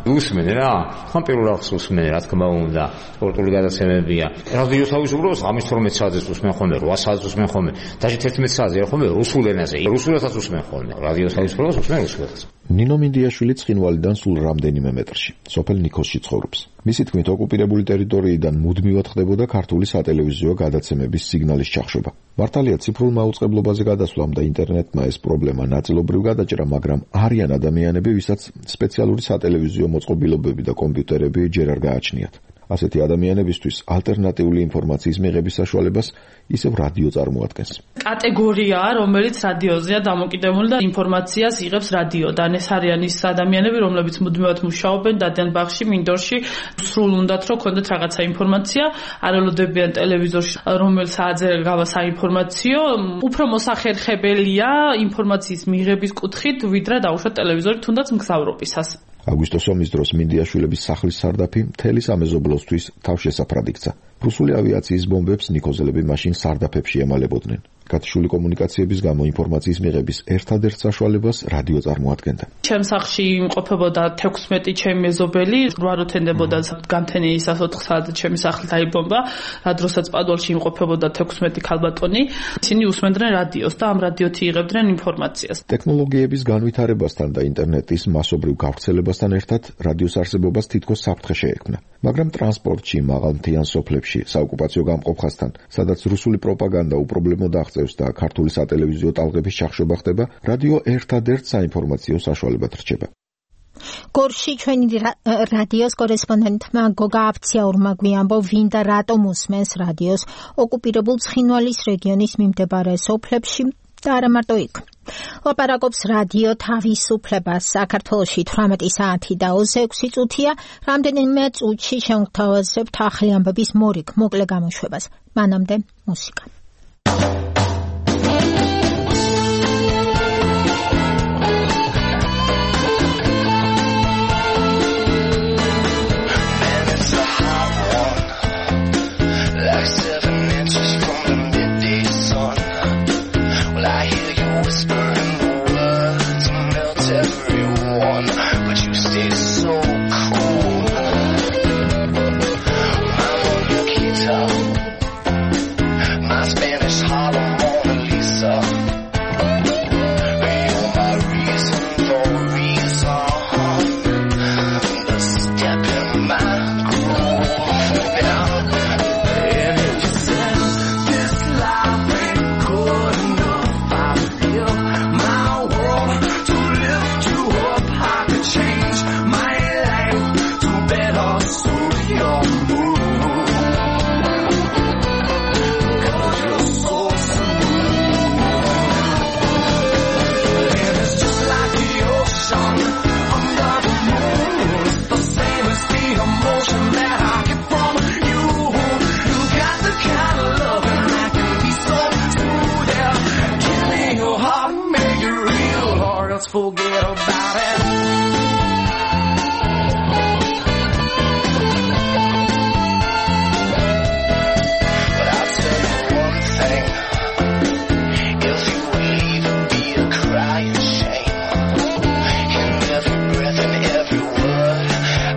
უსმენე რა. ხან პირველ რიგში უსმენე, რა თქმა უნდა, სპორტული გადაცემებია. რადიოს თავისუფლებას ღამის 12 საათზე უსმენ ხოლმე, 8 საათზე უსმენ ხოლმე, დაჟე 11 საათზე ხოლმე რუსულ ენაზე. რუსულადაც უსმენ ხოლმე. რადიოს თავისუფლებას უსმენ რუსულადაც. ნინო მინდიაშვილი ცხინვალიდან სულ რამდენიმე მეტრში, სოფელ ნიქოსში ცხოვრობს. მისი თქმით, ოკუპირებული ტერიტორიიდან მუდმივად ხდებოდა ქართული სატელევიზიო გადაცემების სიგნალის ჩახშობა. მართალია ციფრულ მაუწყებლობაზე გადასვლამ და ინტერნეტმა ეს პრობლემა ნაწილობრივ გადაჭრა, მაგრამ არიან ადამიანები, ვისაც სპეციალური სატელევიზიო მოწყობილობები და კომპიუტერები ჯერ არ გააჩნიათ. ასეთი ადამიანებისთვის ალტერნატიული ინფორმაციის მიღების საშუალებას ისევ რადიო წარმოადგენს. კატეგორიაა, რომელიც რადიოზეა დამოკიდებული და ინფორმაციას იღებს რადიოდან. ეს არიან ის ადამიანები, რომლებიც მუდმივად მუშაობენ დადიან ბაღში, მინდორში, სრულ უნდათ რომ ქონდეთ რაღაცა ინფორმაცია, არ ელოდებიან ტელევიზორში, რომელ საათზე გავა საინფორმაციო, უფრო მოსახერხებელია ინფორმაციის მიღების კუთხით, ვიდრე დაუშვათ ტელევიზორი თუნდაც მგზავრობისას. აგვისტოს ომის დროს მინდიაშვილების სახლის სარდაფი მთელი სამეზობლოსთვის თავშესაფრად იქცა. რუსული ავიაციის ბომბებს ნიკოზელები მაშინ სარდაფებში ემალებოდნენ. გათიშული კომუნიკაციების გამო ინფორმაციის მიღების ერთადერთ საშუალებას რადიო წარმოადგენდა. ჩემ სახლში იმყოფებოდა 16 ჩემი მეზობელი, 8 როთენდებოდა გამთენიისას 4 საათზე ჩემი სახლი დაიბომბა, რა დროსაც პადუალში იმყოფებოდა 16 ქალბატონი. ისინი უსმენდნენ რადიოს და ამ რადიოთი იღებდნენ ინფორმაციას. ტექნოლოგიების განვითარებასთან და ინტერნეტის მასობრივ გავრცელებასთან ერთად რადიოს არსებობას თითქოს საფრთხე შეექმნა. მაგრამ ტრანსპორტში, მაღალმთიან სოფლებში, საოკუპაციო გამყოფხასთან, სადაც რუსული პროპაგანდა უპრობლემოდ აღწევს და ქართული სატელევიზიო ტალღების ჩახშობა ხდება, რადიო ერთადერთ საინფორმაციო საშუალებად რჩება. გორში ჩვენი რადიოს კორესპონდენტმა გოგა აფციაურმა გვიამბო, ვინ და რატომ უსმენს რადიოს ოკუპირებულ ცხინვალის რეგიონის მიმდებარე სოფლებში და არა მარტო იქ. ლაპარაკობს რადიო თავისუფლებას. საქართველოში 18 საათი და 26 წუთია. რამდენიმე წუთში შევთავაზებთ ახალი ამბების მორიგ მოკლე გამოშვებას. მანამდე მუსიკა. Forget about it. But I'll tell you one thing. If you leave, it'll be a crying shame. In every breath and every word,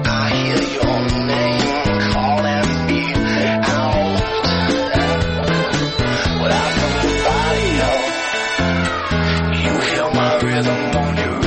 I hear your name calling me out. Without nobody else, you hear my rhythm on your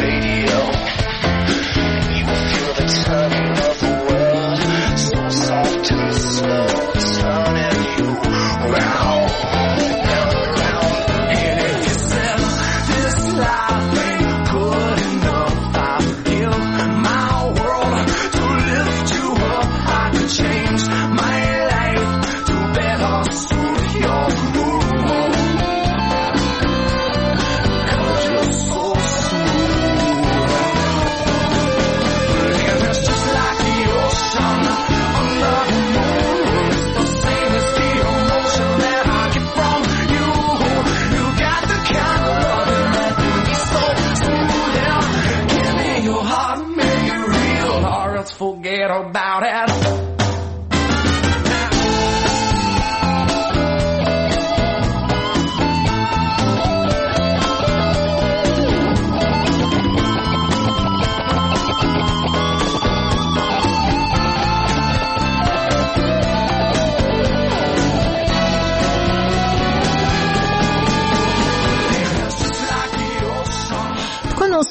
forget about it.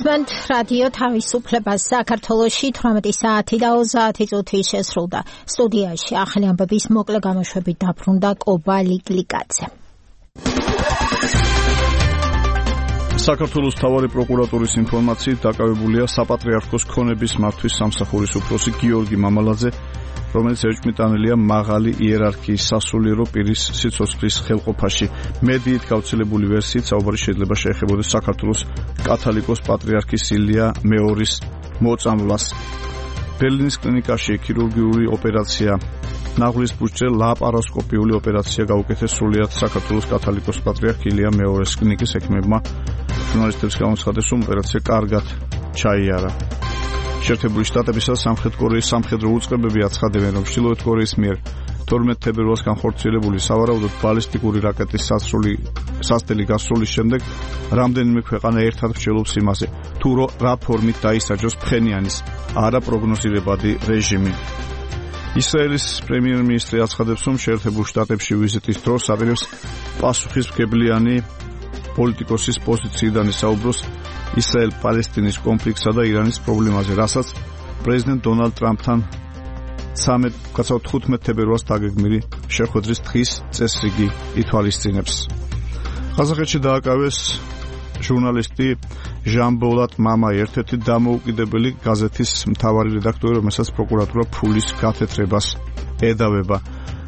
უსმენთ რადიო თავისუფლებას საქართველოში 18 საათი და 30 წუთი შესრულდა. სტუდიაში ახალი ამბების მოკლე გამოშვებით დაბრუნდა კობა ლიკლიკაძე. საქართველოს მთავარი პროკურატურის ინფორმაციით დაკავებულია საპატრიარქოს ქონების მართვის სამსახურის უფროსი გიორგი მამალაძე, რომელიც ეჭვმიტანილია მაღალი იერარქიის სასულიერო პირის სიცოცხლის ხელყოფაში. მედიით გავრცელებული ვერსიით საუბარი შეიძლება შეეხებოდეს საქართველოს კათოლიკოს პატრიარქის ილია მეორის მოწამვლას. ბერლინის კლინიკაში ქირურგიული ოპერაცია, ნაღლის ბუჩქზე ლაპაროსკოპიული ოპერაცია გაუკეთეს სრულიად საქართველოს კათოლიკოს პატრიარქ ილია მეორის კლინიკის ექიმებმა. ჟურნალისტებს გამოცხადეს, რომ ოპერაცია კარგად ჩაიარა. შეერთებული შტატებისა და სამხრეთ კორეის სამხედრო უწყებები აცხადებენ, რომ ჩრდილოეთ კორეის მიერ 12 თებერვალს განხორციელებული სავარაუდოდ ბალისტიკური რაკეტის სასწრაფო გასროლის შემდეგ რამდენიმე ქვეყანა ერთად მსჯელობს იმაზე, თუ რა ფორმით დაისაჯოს ფხენიანის არაპროგნოზირებადი რეჟიმი. ისრაელის პრემიერ-მინისტრი აცხადებს, რომ შეერთებულ შტატებში ვიზიტის დროს აპირებს პასუხისმგებლიანი პოლიტიკოსის პოზიციიდან ისაუბროს ისრაელ-პალესტინის კონფლიქტსა და ირანის პრობლემაზე, რასაც პრეზიდენტ დონალდ ტრამპთან 15 თებერვალს დაგეგმილი შეხვედრის დღის წესრიგი ითვალისწინებს. ყაზახეთში დააკავეს ჟურნალისტი ჟან-ბოლატ მამაი, ერთ-ერთი დამოუკიდებელი გაზეთის მთავარი რედაქტორი, რომელსაც პროკურატურა ფულის გათეთრებას ედავება.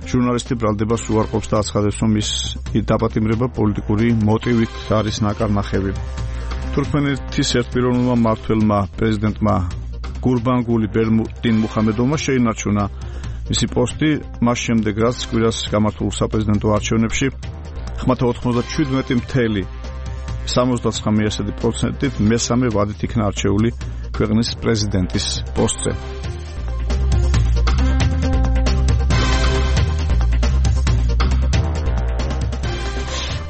ჟურნალისტი ბრალდებას უარყოფს და აცხადებს, რომ ის დაპატიმრება პოლიტიკური მოტივით არის ნაკარნახევი. თურქმენეთის ერთპიროვნულმა მმართველმა პრეზიდენტმა გურბანგული ბერდინ მუხამედოვმა შეინარჩუნა მისი პოსტი მას შემდეგ, რაც კვირას გამართულ საპრეზიდენტო არჩევნებში ხმათა 97.79% მესამე ვადით იქნა არჩეული ქვეყნის პრეზიდენტის პოსტზე.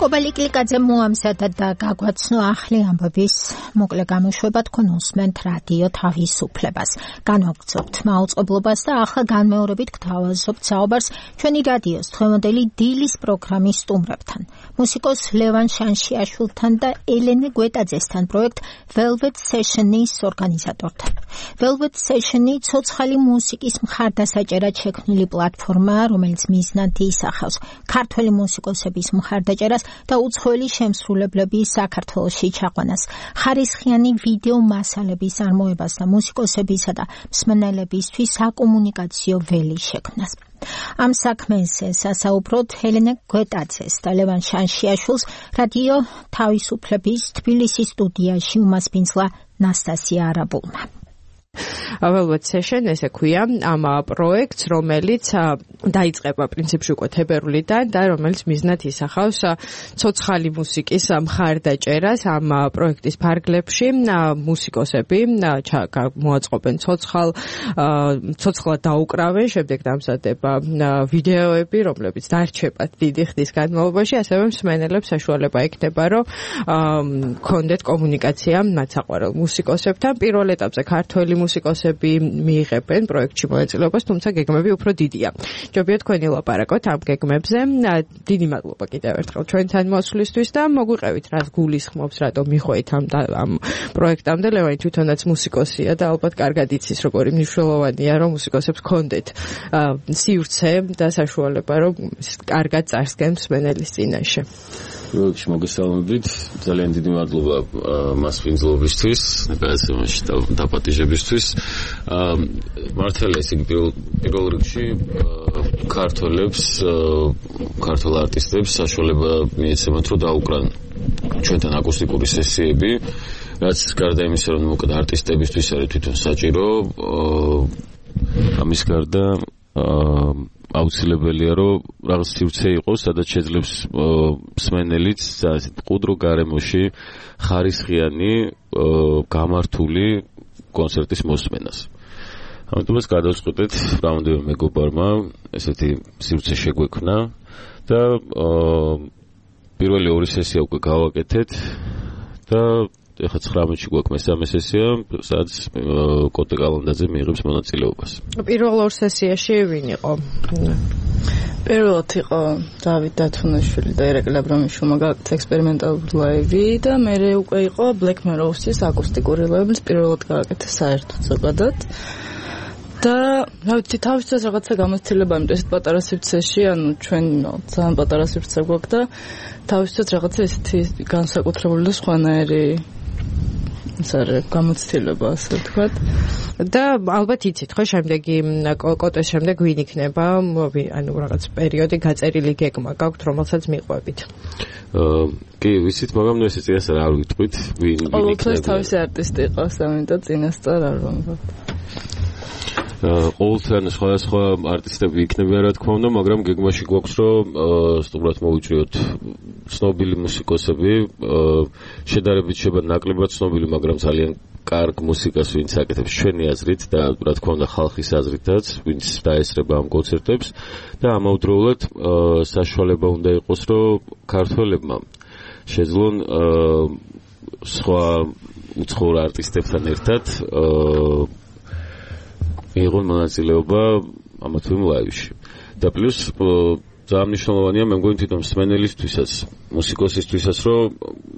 კობა ლიკლიკაძე მოამზადა და გაგვაცნო ახალი ამბების მოკლე გამოშვება. თქვენ უსმენთ რადიო თავისუფლებას. განვაგრძობთ მაუწყებლობას და ახლა განმეორებით გთავაზობთ საუბარს ჩვენი რადიოს დღევანდელი დილის პროგრამის სტუმრებთან. მუსიკოს ლევან შანშიაშვილთან და ელენე გვეტაძესთან პროექტ Velvet Session-ის ორგანიზატორთან. Velvet Session-ი ცოცხალი მუსიკის მხარდასაჭერად შექმნილი პლატფორმაა, რომელიც მიზნად ისახავს ქართველი მუსიკოსების მხარდაჭერას და უცხოელი შემსრულებლების საქართველოში ჩაყვანას, ხარისხიანი ვიდეო მასალების არმოებას და მუსიკოსებისა და მსმენელებისთვის საკომუნიკაციო ველი შექმნას. ამ საქმეზე სასაუბროთ ელენე გვეტაძეს და ლევან შანშიაშვილს რადიო თავისუფლების თბილისის სტუდიაში უმასპინძლა ნასტასია არაბულმა. Velvet Session ესე ქვია ამ პროექტს, რომელიც დაიწყება პრინციპში უკვე თებერვლიდან და რომელიც მიზნად ისახავს ცოცხალი მუსიკის მხარდაჭერას. ამ პროექტის ფარგლებში მუსიკოსები მოაწყობენ ცოცხლად დაუკრავენ, შემდეგ დამზადება ვიდეოები, რომლებიც დარჩებათ დიდი ხნის განმავლობაში, ასევე მსმენელებს საშუალება ექნება, რომ კონდეთ კომუნიკაცია მათ საყვარელ მუსიკოსებთან. პირველ ეტაპზე ქართველი მუსიკოსები მიიღებენ პროექტში მონაწილეობას, თუმცა გეგმები უფრო დიდია. ჯობია თქვენი ლაპარაკოთ ამ გეგმებზე. დიდი მადლობა კიდევ ერთხელ ჩვენთან მოსვლისთვის და მოგვიყევით, რაც გულისხმობს, რატომ მიხვეით ამ პროექტამდე. ლევანი თვითონაც მუსიკოსია და ალბათ კარგად იცის, როგორი მნიშვნელოვანია, რომ მუსიკოსებს კონდეთ სივრცე და საშუალება, რომ კარგად წარსდგენ მსმენელის წინაშე. პროექტში მოგესალმებით. ძალიან დიდი მადლობა მასპინძლობისთვის, გადაცემაში დაპატიჟებისთვის. მართალია ეს პირველ რიგში ქართველებს, ქართულ არტისტებს საშუალება მიეცემათ, რომ დაუკრან ჩვენთან აკუსტიკური სესიები, რაც გარდა იმისა, რომ მოკლედ არტისტებისთვის არის თვითონ საჭირო, ამის გარდა აუცილებელია, რომ რაღაც სივრცე იყოს, სადაც შეძლებს მსმენელიც მყუდრო გარემოში ხარისხიანი გამართული კონცერტის მოსმენას. ამიტომაც გადავწყვეტეთ რამდენიმე მეგობარმა ესეთი სივრცე შეგვექმნა და პირველი ორი სესია უკვე გავაკეთეთ და ეხლა 19-ში გვაქვს მესამე სესია, სადაც კოტე კალანდაძე მიიღებს მონაწილეობას. პირველ ორ სესიაში ვინ იყო? პირველად იყო დავით დათუნაშვილი და ირაკლი აბრამიშვილმა გააკეთა ექსპერიმენტალური ლაივი და მერე უკვე იყო Black Mirrors-ის აკუსტიკური ლაივი, რომელიც პირველად გააკეთა საერთოდ ზოგადად. და რა ვიცი, თავისთავად რაღაცა გამოცდილება, იმიტომ ესეთ პატარა სივრცეში, ანუ ჩვენ ძალიან პატარა სივრცე გვაქვს და თავისთავად რაღაცა ესეთი განსაკუთრებული და სხვანაირი გამოცდილება, ასე ვთქვათ. და ალბათ იცით, ხო, შემდეგი კოტეს შემდეგ ვინ იქნება, ანუ რაღაც პერიოდი გაწერილი გეგმა გაქვთ, რომელსაც მიყვებით. კი, ვიცით, მაგრამ ეს წინასწარ არ ვიტყვით, ვინ იქნება. ყოველთვის თავისი არტისტი იყოს, ამიტომ წინასწარ არ ვამბობ. ყოველთვის სხვადასხვა არტისტები იქნებიან, რა თქმა უნდა, მაგრამ გეგმაში გვაქვს, რომ სტუმრად მოვიჭრიოთ ცნობილი მუსიკოსები, შედარებით შეიძლება ნაკლებად ცნობილი, მაგრამ ძალიან კარგ მუსიკას, ვინც აკეთებს ჩვენი აზრით და რა თქმა უნდა ხალხის აზრითაც, ვინც დაესწრება ამ კონცერტებს და ამავდროულად საშუალება უნდა იყოს, რომ ქართველებმა შეძლონ სხვა უცხოურ არტისტებთან ერთად მიიღონ მონაწილეობა ამ თვიმ ლაივში. და პლუს ძალიან მნიშვნელოვანია, მე მგონი თვითონ მსმენელისთვისაც, მუსიკოსისთვისაც, რომ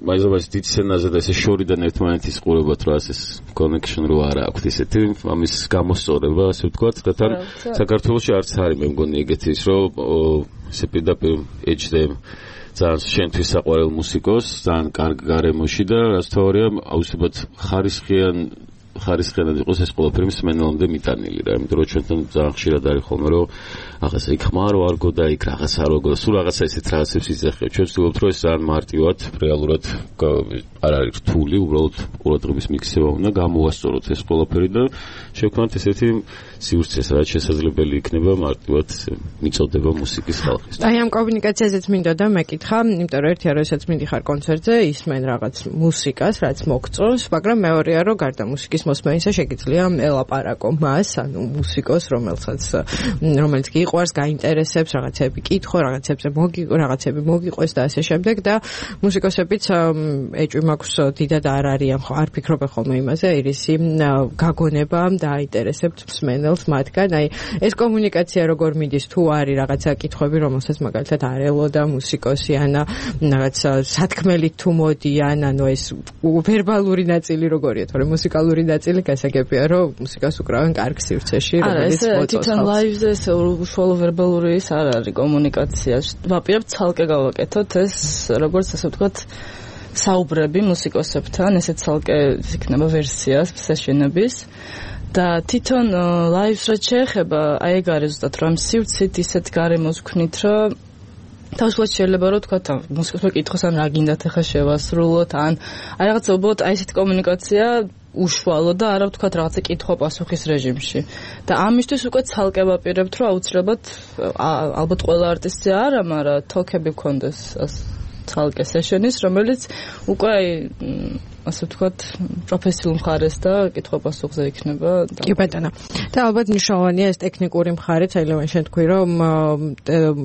მაინც დიდ სცენაზე და ესე შორიდან ერთმანეთის ყურებათ, რომ ეს connection რო არა აქვს ესეთი, ამის გამოსწორება, ასე ვთქვათ, და თან საქართველოში არც არის, მე მგონი ეგეთი ის, რომ ესე პირდაპირ ეჭდემ ძალიან შენთვის საყვარელ მუსიკოს, ძალიან კარგ გარემოში და რაც თავარია, აუცილებლად ხარისხიანად იყოს ეს ყველაფერი მსმენელამდე მიტანილი რა, იმიტომ რომ ჩვენთან ძალიან ხშირად არის ხოლმე, რომ რაღაცა იქ ხმარო არ გო და იქ რაღაც არ გო და სულ რაღაცა ისეთ რაღაცებს იძახებთ. ჩვენ ვცდილობთ, რომ ეს ძალიან მარტივად, რეალურად არ არის რთული, უბრალოდ ყურადღების მიქცევა უნდა გამოვასწოროთ ეს ყველაფერი და შევქმნათ ესეთი სივრცეს, რაც შესაძლებელი იქნება მარტივად მიწოდება მუსიკის ხალხის. აი ამ კომუნიკაციაზეც მინდა და მეკითხა, იმიტომ რომ ერთია, როდესაც მიდიხარ კონცერტზე, ისმენ რაღაც მუსიკას, რაც მოგწონს, მაგრამ მეორეა, რომ გარდა მუსიკის მოსმენისა შეგიძლია ელაპარაკო მას, ანუ მუსიკოს, რომელიც გიყვარს, გაინტერესებს, რაღაცები კითხო, რაღაცები მოგიყვეს და ასე შემდეგ და მუსიკოსებიც ეჭვი მაქვს დიდად არ არიან, არ ფიქრობენ ხოლმე იმაზე, ირისი გაგონება და აინტერესებთ მსმენელს მათგან. აი ეს კომუნიკაცია როგორ მიდის, თუ არის რაღაცა კითხვები, რომელსაც მაგალითად არ ელოდა მუსიკოსი ან რაღაც სათქმელით თუ მოდიან, ანუ ეს ვერბალური ნაწილი როგორია, თორემ მუსიკალური ნაწილი გასაგებია, რომ მუსიკას უკრავენ კარგ სივრცეში, რომელიც მოწონს. თვითონ ლაივზე ეს უშუალო ვერბალური ის არ არის კომუნიკაცია. ვაპირებთ ცალკე გავაკეთოთ ეს, როგორც ასე ვთქვათ, საუბრები მუსიკოსებთან, ესეც ცალკე იქნება ვერსია სეშენების. და თვითონ ლაივს რაც შეეხება, აი ეგ არის ზუსტად, რომ სივრცით ისეთ გარემოს ვქნით, რომ თავისუფლად შეიძლება რომ თქვა მუსიკოსმა კითხოს ან რა გინდათ ახლა შევასრულოთ ან აი რაღაცა უბრალოდ აი ესეთი კომუნიკაცია უშუალო და არა ვთქვათ რაღაცა კითხვა-პასუხის რეჟიმში. და ამისთვის უკვე ცალკე ვაპირებთ, რომ აუცილებლად ალბათ ყველა არტისტი არა, მაგრამ თოქები გქონდეს ცალკე სეშენის, რომელიც უკვე ასე ვთქვათ, პროფესიულ მხარეს და კითხვა-პასუხზე იქნება. კი ბატონო. და ალბათ მნიშვნელოვანია ეს ტექნიკური მხარეც, აი ლევან შენ თქვი, რომ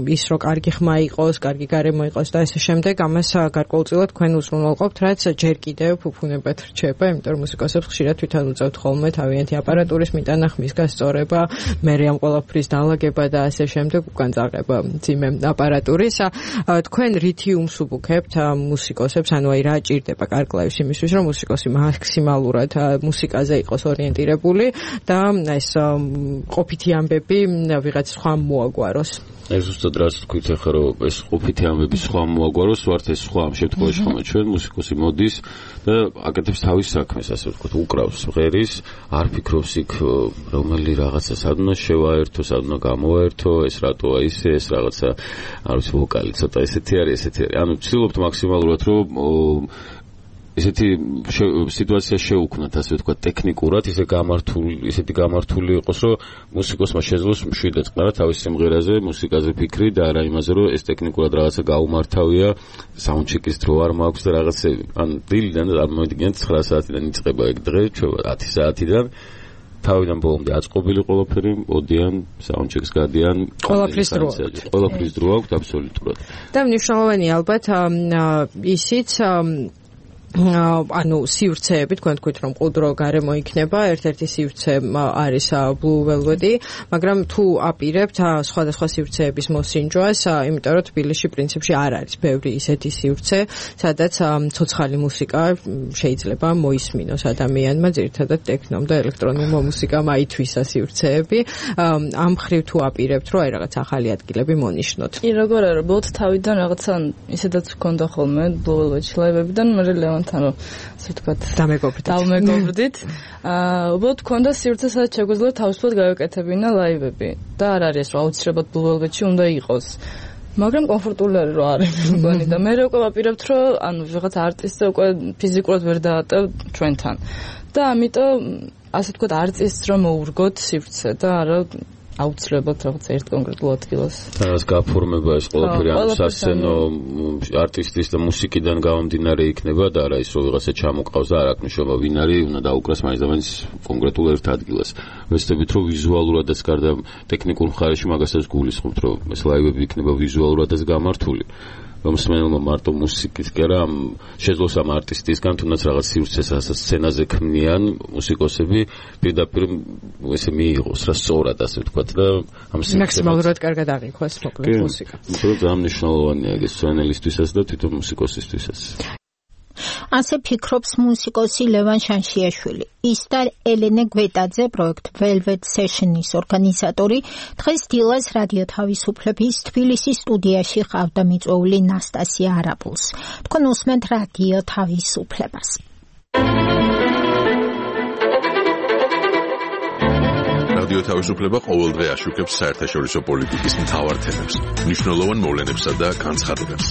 ის რო კარგი ხმა იყოს, კარგი გარემო იყოს და ასე შემდეგ, ამას გარკვეულწილად თქვენ უზრუნველყოფთ, რაც ჯერ კიდევ ფუფუნებად რჩება, იმიტომ რომ მუსიკოსებს ხშირად თვითონ უწევთ ხოლმე თავიანთი აპარატურის მიტანა, ხმის გასწორება, მერე ამ ყველაფრის დალაგება და ასე შემდეგ, უკან წაღება ძიმე აპარატურის. თქვენ რითი უმსუბუქებთ მუსიკოსებს, ანუ აი რა ჭირდება კარგ ლაივს იმისთვის, რომ მუსიკოსი მაქსიმალურად მუსიკაზე იყოს ორიენტირებული და ეს ყოფითი ამბები ვიღაც სხვა მოაგვაროს. ეს ზუსტად რაც თქვით ახლა, რომ ეს ყოფითი ამბები სხვა მოაგვაროს, ვართ ეს სხვა ამ შემთხვევაში ხომ ჩვენ მუსიკოსი მოდის და აკეთებს თავის საქმეს, ასე ვთქვათ, უკრავს ღერის, არ ფიქრობს იქ რომელი რაღაცა სადნა შევაერთო, სადნა გამოაერთო, ეს რატოა ისე, ეს რაღაცა არ ვიცი ვოკალი ცოტა ესეთი არის. ანუ ვცდილობთ მაქსიმალურად, რომ ესეთი სიტუაცია შეუქმნათ, ასე ვთქვათ, ტექნიკურად, ისეთი გამართული იყოს, რომ მუსიკოსმა შეძლოს მშვიდად წყნარა თავის სიმღერაზე, მუსიკაზე ფიქრი და არა იმაზე, რომ ეს ტექნიკურად რაღაცა გაუმართავია, საუნდჩეკის დრო არ მაქვს და რაღაცები. ან დილიდან წარმოვიდგინეთ 9 საათიდან იწყება ეგ დღე, 10 საათიდან თავიდან ბოლომდე აწყობილი ყველაფერი, მოდიან საუნდჩეკს გადიან, ყველაფრის დრო აქვს აბსოლუტურად. და მნიშვნელოვანი ალბათ ისიც ანუ სივრცეები თქვენ თქვით რომ ყუდრო გარემო იქნება ერთ-ერთი სივრცე არის Blue Velvet-ი მაგრამ თუ აპირებთ სხვადასხვა სივრცეების მოსინჯვას იმიტომ რომ თბილისში პრინციპში არ არის ბევრი ისეთი სივრცე სადაც ცოცხალი მუსიკა შეიძლება მოისმინოს ადამიანმა ძირითადად ტექნომ და ელექტრონული მუსიკამ აითვისა სივრცეები ამ ხრივ თუ აპირებთ რომ აი რაღაც ახალი ადგილები მონიშნოთ კი როგორ არა ბოლოდ თავიდან რაღაცა ისედაც გქონდა ხოლმე Blue Velvet-ში ლაივებიდან მაგრამ თან რომ ასე ვთქვათ დავმეგობრდით უბრალოდ გქონდა სივრცე სადაც შეგვიძლია თავისუფლად გავეკეთებინა ლაივები და არ არის რომ აუცილებლად Blue Velvet-ში უნდა იყოს მაგრამ კომფორტული არის რომ არის მგონი და მე უკვე ვაპირებთ რომ ანუ რაღაც არტისტი უკვე ფიზიკურად ვერ დაატევ ჩვენთან და ამიტომ ასე ვთქვათ არტისტს რომ მოურგოთ სივრცე და არა აუცილებლად რაღაც ერთ კონკრეტულ ადგილას. რაც გაფორმება ეს ყველაფერი ამ სასცენო არტისტის და მუსიკიდან გამომდინარე იქნება და არა ის რომ ვიღაცა ჩამოყავს და არ აქვს მნიშვნელობა ვინ არის, უნდა დაუკრას მაინც და მაინც კონკრეტულ ერთ ადგილას. ვეცდებით რომ ვიზუალურადაც გარდა ტექნიკურ მხარეში მაგასაც გულისხმობთ რომ ეს ლაივები იქნება ვიზუალურადაც გამართული. რომ მსმენელმა მარტო მუსიკის კი არა შეძლოს ამ არტისტისგან თუნდაც რაღაც სივრცეს სცენაზე ქმნიან მუსიკოსები პირდაპირ ესე მიიღოს რა სწორად ასე ვთქვათ და ამ მაქსიმალურად კარგად აღიქواس მოკლედ მუსიკა. ძალიან მნიშვნელოვანია ეს სცენალისტვისაც და თვითონ მუსიკოსისთვისაც. ასე ფიქრობს მუსიკოსი ლევან შანშიაშვილი. ის და ელენე გვეტაძე პროექტ Velvet Session-ის ორგანიზატორი დღეს დილას რადიო თავისუფლების თბილისის სტუდიაში ყავდა მიწვეული ნასტასია არაბულს. თქვენ უსმენთ რადიო თავისუფლებას. რადიო თავისუფლება ყოველდღე აშუქებს საერთაშორისო პოლიტიკის მთავარ თემებს, მნიშვნელოვან მოვლენებსა და განცხადებებს.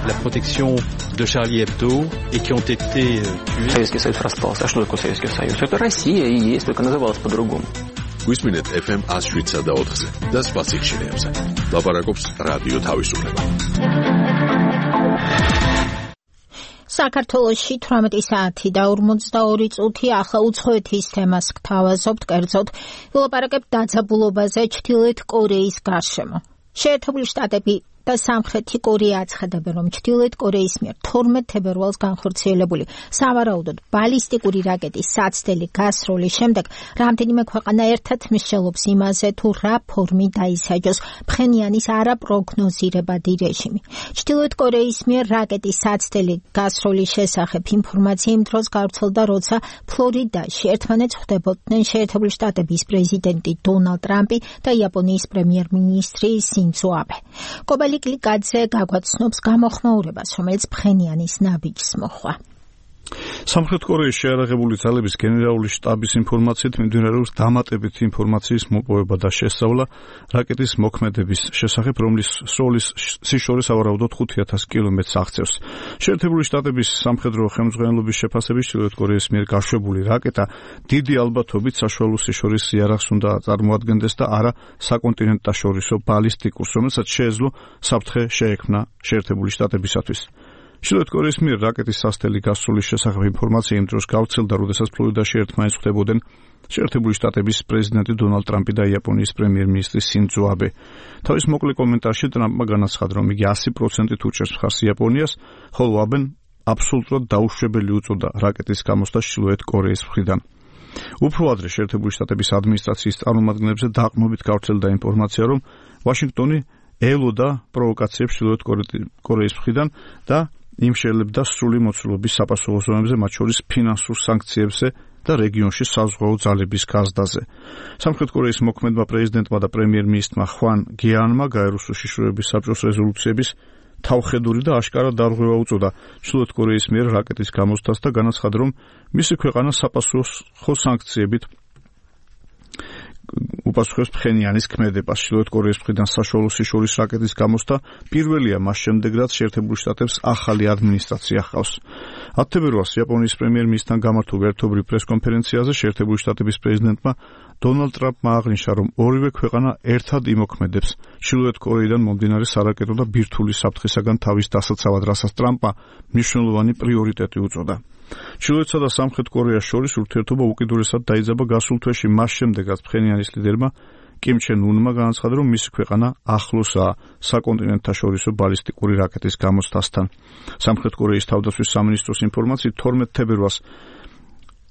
La protection de Charlie Hebdo et qui ont été tués. Советский Союз распался. А что такое Советский Союз? Это Россия и есть, только называлась по-другому. გვისმინეთ FM 107 და 4-ზე და სხვა სიხშირეებზე. ლაპარაკობს რადიო თავისუფლება. საქართველოში 18 საათი და 42 წუთი ახლა უცხოეთის თემას გთავაზობთ კერძოდ ვილაპარაკებთ დაძაბულობაზე ჩრდილოეთ კორეის გარშემო. შეერთებული შტატები და სამხრეთი კორეა აცხადებენ, რომ ჩრდილოეთ კორეის მიერ 12 თებერვალს განხორციელებული სავარაუდოდ ბალისტიკური რაკეტის საცდელი გასროლის შემდეგ რამდენიმე ქვეყანა ერთად მსჯელობს იმაზე, თუ რა ფორმით დაისაჯოს ფხენიანის არაპროგნოზირებადი რეჟიმი. ჩრდილოეთ კორეის მიერ რაკეტის საცდელი გასროლის შესახებ ინფორმაცია იმ დროს გავრცელდა, როცა ფლორიდაში ერთმანეთს ხვდებოდნენ შეერთებული შტატების პრეზიდენტი დონალდ ტრამპი და იაპონიის პრემიერ-მინისტრი სინძო აბე. კლიკლიკაძე გაგვაცნობს გამოხმაურებას, რომელიც ფხენიანის ნაბიჯს მოხვა. სამხრეთ კორეის შეიარაღებული ძალების გენერალური შტაბის ინფორმაციით მიმდინარეობს დამატებითი ინფორმაციის მოპოვება და შესწავლა რაკეტის მოქმედების შესახებ, რომლის სროლის სიშორე სავარაუდოდ 5000 კილომეტრს აღწევს. შეერთებული შტატების სამხედრო ხელმძღვანელობის შეფასებით ჩრდილოეთ კორეის მიერ გაშვებული რაკეტა დიდი ალბათობით საშუალო სიშორის იარაღს უნდა წარმოადგენდეს და არა საკონტინენტაშორისო ბალისტიკურს, რომელსაც შეეძლო საფრთხე შეექმნა შეერთებული შტატებისათვის. ჩრდილოეთ კორეის მიერ რაკეტის სასტელი გასროლის შესახებ ინფორმაცია იმ დროს გავრცელდა, როდესაც ფლორიდაში ერთმანეთს ხვდებოდნენ შეერთებული შტატების პრეზიდენტი დონალდ ტრამპი და იაპონიის პრემიერ-მინისტრი სინძო აბე. თავის მოკლე კომენტარში ტრამპმა განაცხადა, რომ იგი 100%-ით უჭერს მხარს იაპონიას, ხოლო აბენ აბსოლუტურად დაუშვებელი უწოდა რაკეტის გამოსვლას ჩრდილოეთ კორეის მხრიდან. უფრო ადრე შეერთებული შტატების ადმინისტრაციის წარმომადგენლებზე დაყრდნობით გავრცელდა ინფორმაცია, რომ ვაშინგტონი ელოდა პროვოკაციებს ჩრდილოეთ კორეის მხრიდან და იმშელებდა სრული მოცულობის საპასუხო ზონებზე, მათ შორის ფინანსურ სანქციებზე და რეგიონში საზღვაო ძალების გაზრდაზე. სამხრეთ კორეის მოქმედმა პრეზიდენტმა და პრემიერ-მინისტრმა ხვან გიანმა გაეროს უშიშროების საბჭოს რეზოლუციების თავხედური და აშკარა დარღვევა უწოდა ჩრდილოეთ კორეის მიერ რაკეტის გამოსვლას და განაცხადა, რომ მისი ქვეყანა საპასუხო სანქციებით უპასუხებს ფხენიანის ქმედებას. ჩრდილოეთ კორეის მხრიდან საშუალო სიშორის რაკეტის გამოსთა პირველია მას შემდეგ, რაც შეერთებული შტატებს ახალი ადმინისტრაცია ჰყავს. 10 თებერვალს იაპონიის პრემიერ-მინისტრთან გამართულ ერთობრივ პრესკონფერენციაზე შეერთებული შტატების პრეზიდენტმა დონალდ ტრამპმა აღნიშნა, რომ ორივე ქვეყანა ერთად იმოქმედებს ჩრდილოეთ კორეიდან მომდინარე სარაკეტო და ბირთვული საფრთხისაგან თავის დასაცავად, რასაც ტრამპმა მნიშვნელოვანი პრიორიტეტი უწოდა. ჩრდილოეთსა და სამხრეთ კორეას შორის ურთიერთობა უკიდურესად დაიძაბა გასულ თვეში, მას შემდეგ, რაც ფხენიანის ლიდერმა კიმ ჩენ უნმა განაცხადა, რომ მისი ქვეყანა ახლოსაა საკონტინენტთაშორისო ბალისტიკური რაკეტის გამოცდასთან. სამხრეთ კორეის თავდაცვის სამინისტროს ინფორმაციით 12 თებერვალს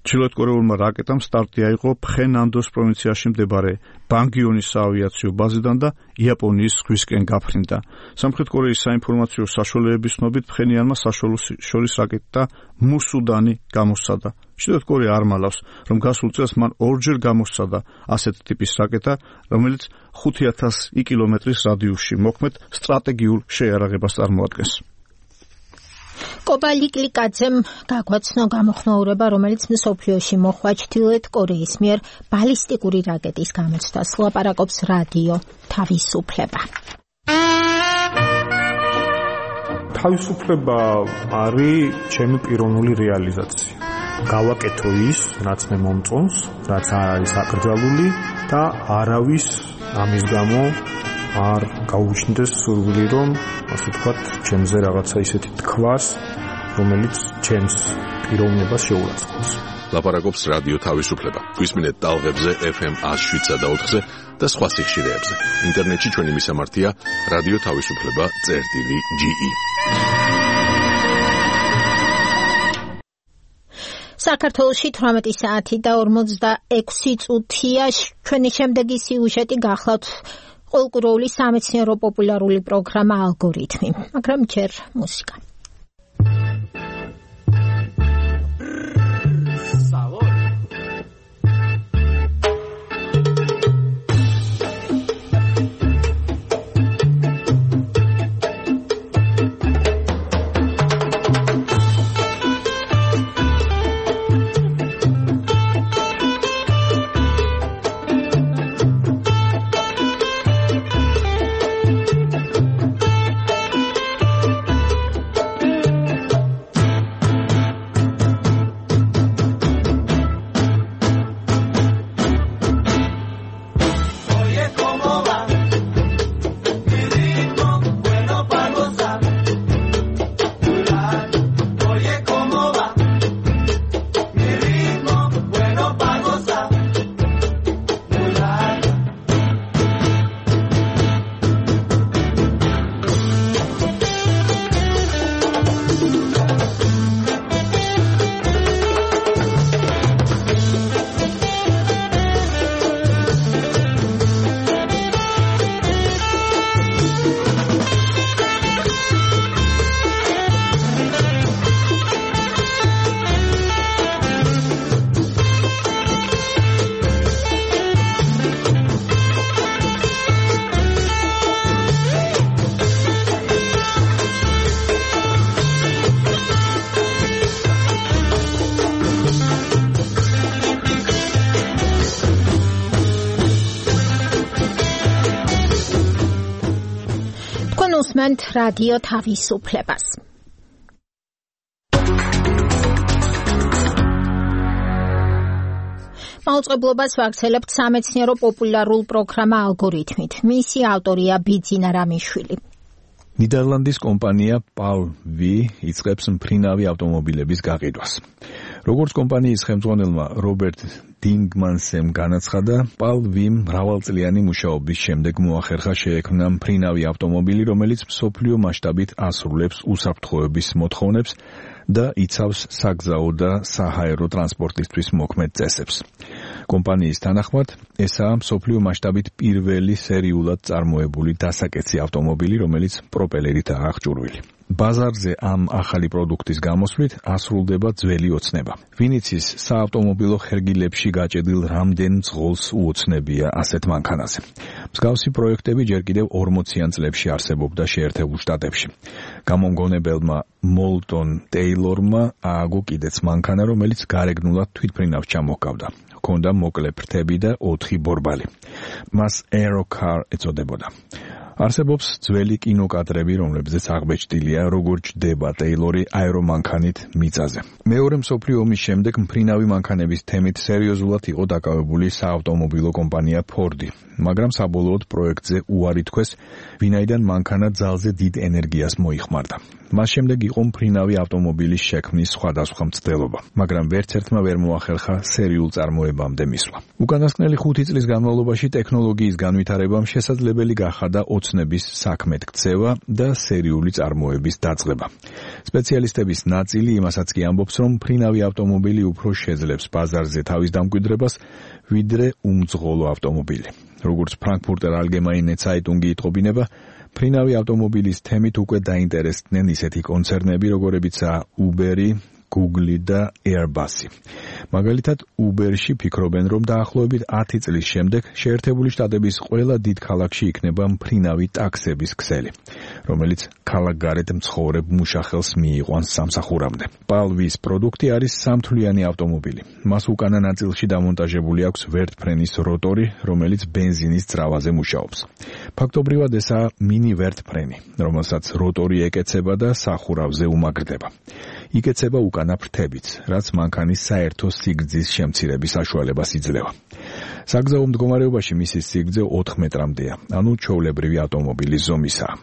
ჩრდილოეთ კორეულმა რაკეტამ სტარტი აიღო ფხენანდოს პროვინციაში მდებარე ბანგიონის საავიაციო ბაზიდან და იაპონიის ზღვისკენ გაფრინდა. სამხრეთ კორეის საინფორმაციო საშუალებების ცნობით, ფხენიანმა საშუალო შორის რაკეტა მუსუდანი გამოსცადა. ჩრდილოეთ კორეა არ მალავს, რომ გასულ წელს მან ორჯერ გამოსცადა ასეთ ტიპის რაკეტა, რომელიც 5000 კილომეტრის რადიუსში მოქმედ სტრატეგიულ შეიარაღებას წარმოადგენს. კობალიკლიკაძემ გაგვაცნო გამოხმაურება, რომელიც მსოფლიოში მოხდა ჩრდილოეთ კორეის მიერ ბალისტიკური რაკეტის გამოცდას. ლაპარაკობს რადიო თავისუფლება. თავისუფლება არის ჩემი პიროვნული რეალიზაცია. გავაკეთო ის, რაც მე მომწონს, რაც არ არის აკრძალული და არავის ამის გამო არ გაუჩნდეს სურვილი, რომ ასე ვთქვათ, ჩემზე რაღაცა ისეთი თქვას, რომელიც ჩემს პიროვნებას შეურაცხყოფს. ლაპარაკობს რადიო თავისუფლება. გვისმინეთ ტალღებზე FM 107 და 4-ზე და სხვა სიხშირეებზე. ინტერნეტში ჩვენი მისამართია რადიო თავისუფლება.ge. საქართველოში 18 საათი და 46 წუთია. ჩვენი შემდეგი სიუჟეტი გახლავთ ყოველკვირეული სამეცნიერო პოპულარული პროგრამა ალგორითმი, მაგრამ ჯერ მუსიკა. უსმენთ რადიო თავისუფლებას. მაუწყებლობას ვაგრძელებთ სამეცნიერო პოპულარულ პროგრამა ალგორითმით. მისი ავტორია ბიძინა რამიშვილი. ნიდერლანდის კომპანია PAL-V იწყებს მფრინავი ავტომობილების გაყიდვას. როგორც კომპანიის ხელმძღვანელმა რობერტ დინგმანსემ განაცხადა, PAL-V-მ მრავალწლიანი მუშაობის შემდეგ მოახერხა შეექმნა მფრინავი ავტომობილი, რომელიც მსოფლიო მასშტაბით ასრულებს უსაფრთხოების მოთხოვნებს და იცავს საგზაო და საჰაერო ტრანსპორტისთვის მოქმედ წესებს. კომპანიის თანახმად, ესაა მსოფლიო მასშტაბით პირველი სერიულად წარმოებული დასაკეცი ავტომობილი, რომელიც პროპელერითაა აღჭურვილი. ბაზარზე ამ ახალი პროდუქტის გამოსვლით ასრულდება ძველი ოცნება. ვინიცის საავტომობილო ხერგილებში გაჭედილ რამდენ მძღოლს უოცნებია ასეთ მანქანაზე. მსგავსი პროექტები ჯერ კიდევ 40-იან წლებში არსებობდა შეერთებულ შტატებში. გამომგონებელმა მოლტონ ტეილორმა ააგო კიდეც მანქანა, რომელიც გარეგნულად თვითმფრინავს ჩამოჰგავდა. ჰქონდა მოკლე ფრთები და 4 ბორბალი. მას Aerocar ეწოდებოდა. არსებობს ძველი კინოკადრები, რომლებზეც აღბეჭდილია, როგორ ჯდება ტეილორი აერომანქანით მიწაზე. მეორე მსოფლიო ომის შემდეგ მფრინავი მანქანების თემით სერიოზულად იყო დაკავებული საავტომობილო კომპანია Ford-ი, მაგრამ საბოლოოდ პროექტზე უარი თქვეს, ვინაიდან მანქანა ძალზე დიდ ენერგიას მოიხმარდა. მას შემდეგ იყო მფრინავი ავტომობილის შექმნის სხვადასხვა მცდელობა, მაგრამ ვერც ერთმა ვერ მოახერხა სერიულ წარმოებამდე მისვლა. უკანასკნელი 5 წლის განმავლობაში ტექნოლოგიის განვითარებამ შესაძლებელი გახადა ოცნების საქმედ ქცევა და სერიული წარმოების დაწყება. სპეციალისტების ნაწილი იმასაც კი ამბობს, რომ მფრინავი ავტომობილი უფრო შეძლებს ბაზარზე თავის დამკვიდრებას, ვიდრე უმძღოლო ავტომობილი. როგორც Frankfurter Allgemeine Zeitung იტყობინება, მფრინავი ავტომობილის თემით უკვე დაინტერესდნენ ისეთი კონცერნები, როგორებიცაა Uber-ი, Google და Airbus-ი. მაგალითად, Uber-ში ფიქრობენ, რომ დაახლოებით 10 წლის შემდეგ შეერთებული შტატების ყველა დიდ ქალაქში იქნება მფრინავი ტაქსების ქსელი, რომელიც ქალაქგარეთ მცხოვრებ მუშახელს მიიყვანს სამსახურამდე. Palvis პროდუქტი არის სამთვლიანი ავტომობილი. მას უკანა ნაწილში დამონტაჟებული აქვს ვერტფრენის როტორი, რომელიც ბენზინის ძრავაზე მუშაობს. ფაქტობრივად ესაა მინი ვერტფრენი, რომელსაც როტორი ეკეცება და სახურავზე უმაგრდება. იკეცება უკანა ფრთებიც, რაც მანქანის საერთო სიგრძის შემცირების საშუალებას იძლევა. საგზაო მდგომარეობაში მისი სიგრძე 4 მეტრამდეა, ანუ ჩვეულებრივი ავტომობილის ზომისაა.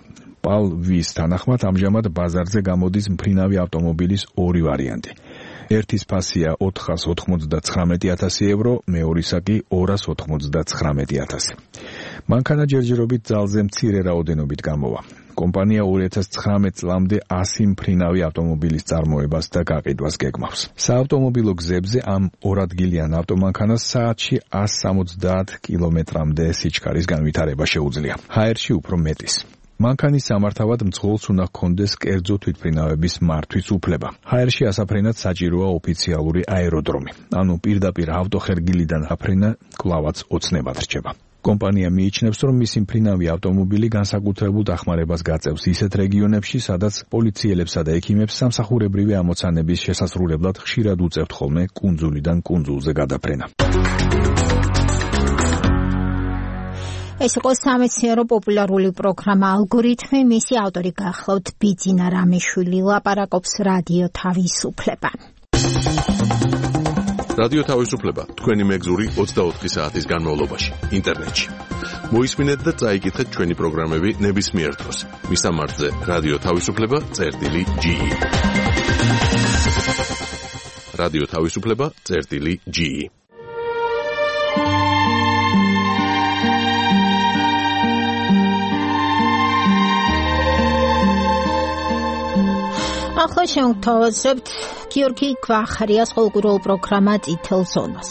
Palvis თანახმად ამჟამად ბაზარზე გამოდის მფრინავი ავტომობილის 2 ვარიანტი. ერთის ფასია 499,000 евро, მეორისა კი 299,000. მანქანა ჯერჯერობით ძალზე მცირე რაოდენობით გამოვა. კომპანია 2019 წლამდე 100 მფრინავი ავტომობილის წარმოებას და გაყიდვას გეგმავს. საავტომობილო გზებზე ამ 2 ადგილიან ავტომანქანას საათში 170 კილომეტრამდე სიჩქარის განვითარება შეუძლია. ჰაერში უფრო მეტის. მანქანის სამართავად მძღოლს უნდა ჰქონდეს კერძო თვითმფრინავების მართვის უფლება. ჰაერში ასაფრენად საჭიროა ოფიციალური აეროდრომი, ანუ პირდაპირ ავტოხერგილიდან აფრენა კვლავაც ოცნებად რჩება. კომპანია მიიჩნევს, რომ მისი მფრინავი ავტომობილი განსაკუთრებულ დახმარებას გაწევს ისეთ რეგიონებში, სადაც პოლიციელებსა და ექიმებს სამსახურებრივი ამოცანების შესასრულებლად ხშირად უწევთ ხოლმე კუნძულიდან კუნძულზე გადაფრენა. ეს იყო სამეცნიერო პოპულარული პროგრამა ალგორითმი, მისი ავტორი გახლავთ ბიძინა რამიშვილი, ლაპარაკობს რადიო თავისუფლება. რადიო თავისუფლება თქვენი მეგზური 24 საათის განმავლობაში ინტერნეტში. მოისმინეთ და წაიკითხეთ ჩვენი პროგრამები ნებისმიერ დროს. მისამართზე რადიო თავისუფლება.ge. რადიო თავისუფლება.ge. ახლა შევთავაზებთ გიორგი გვახარიას ყოველკვირეულ პროგრამა წითელ ზონას.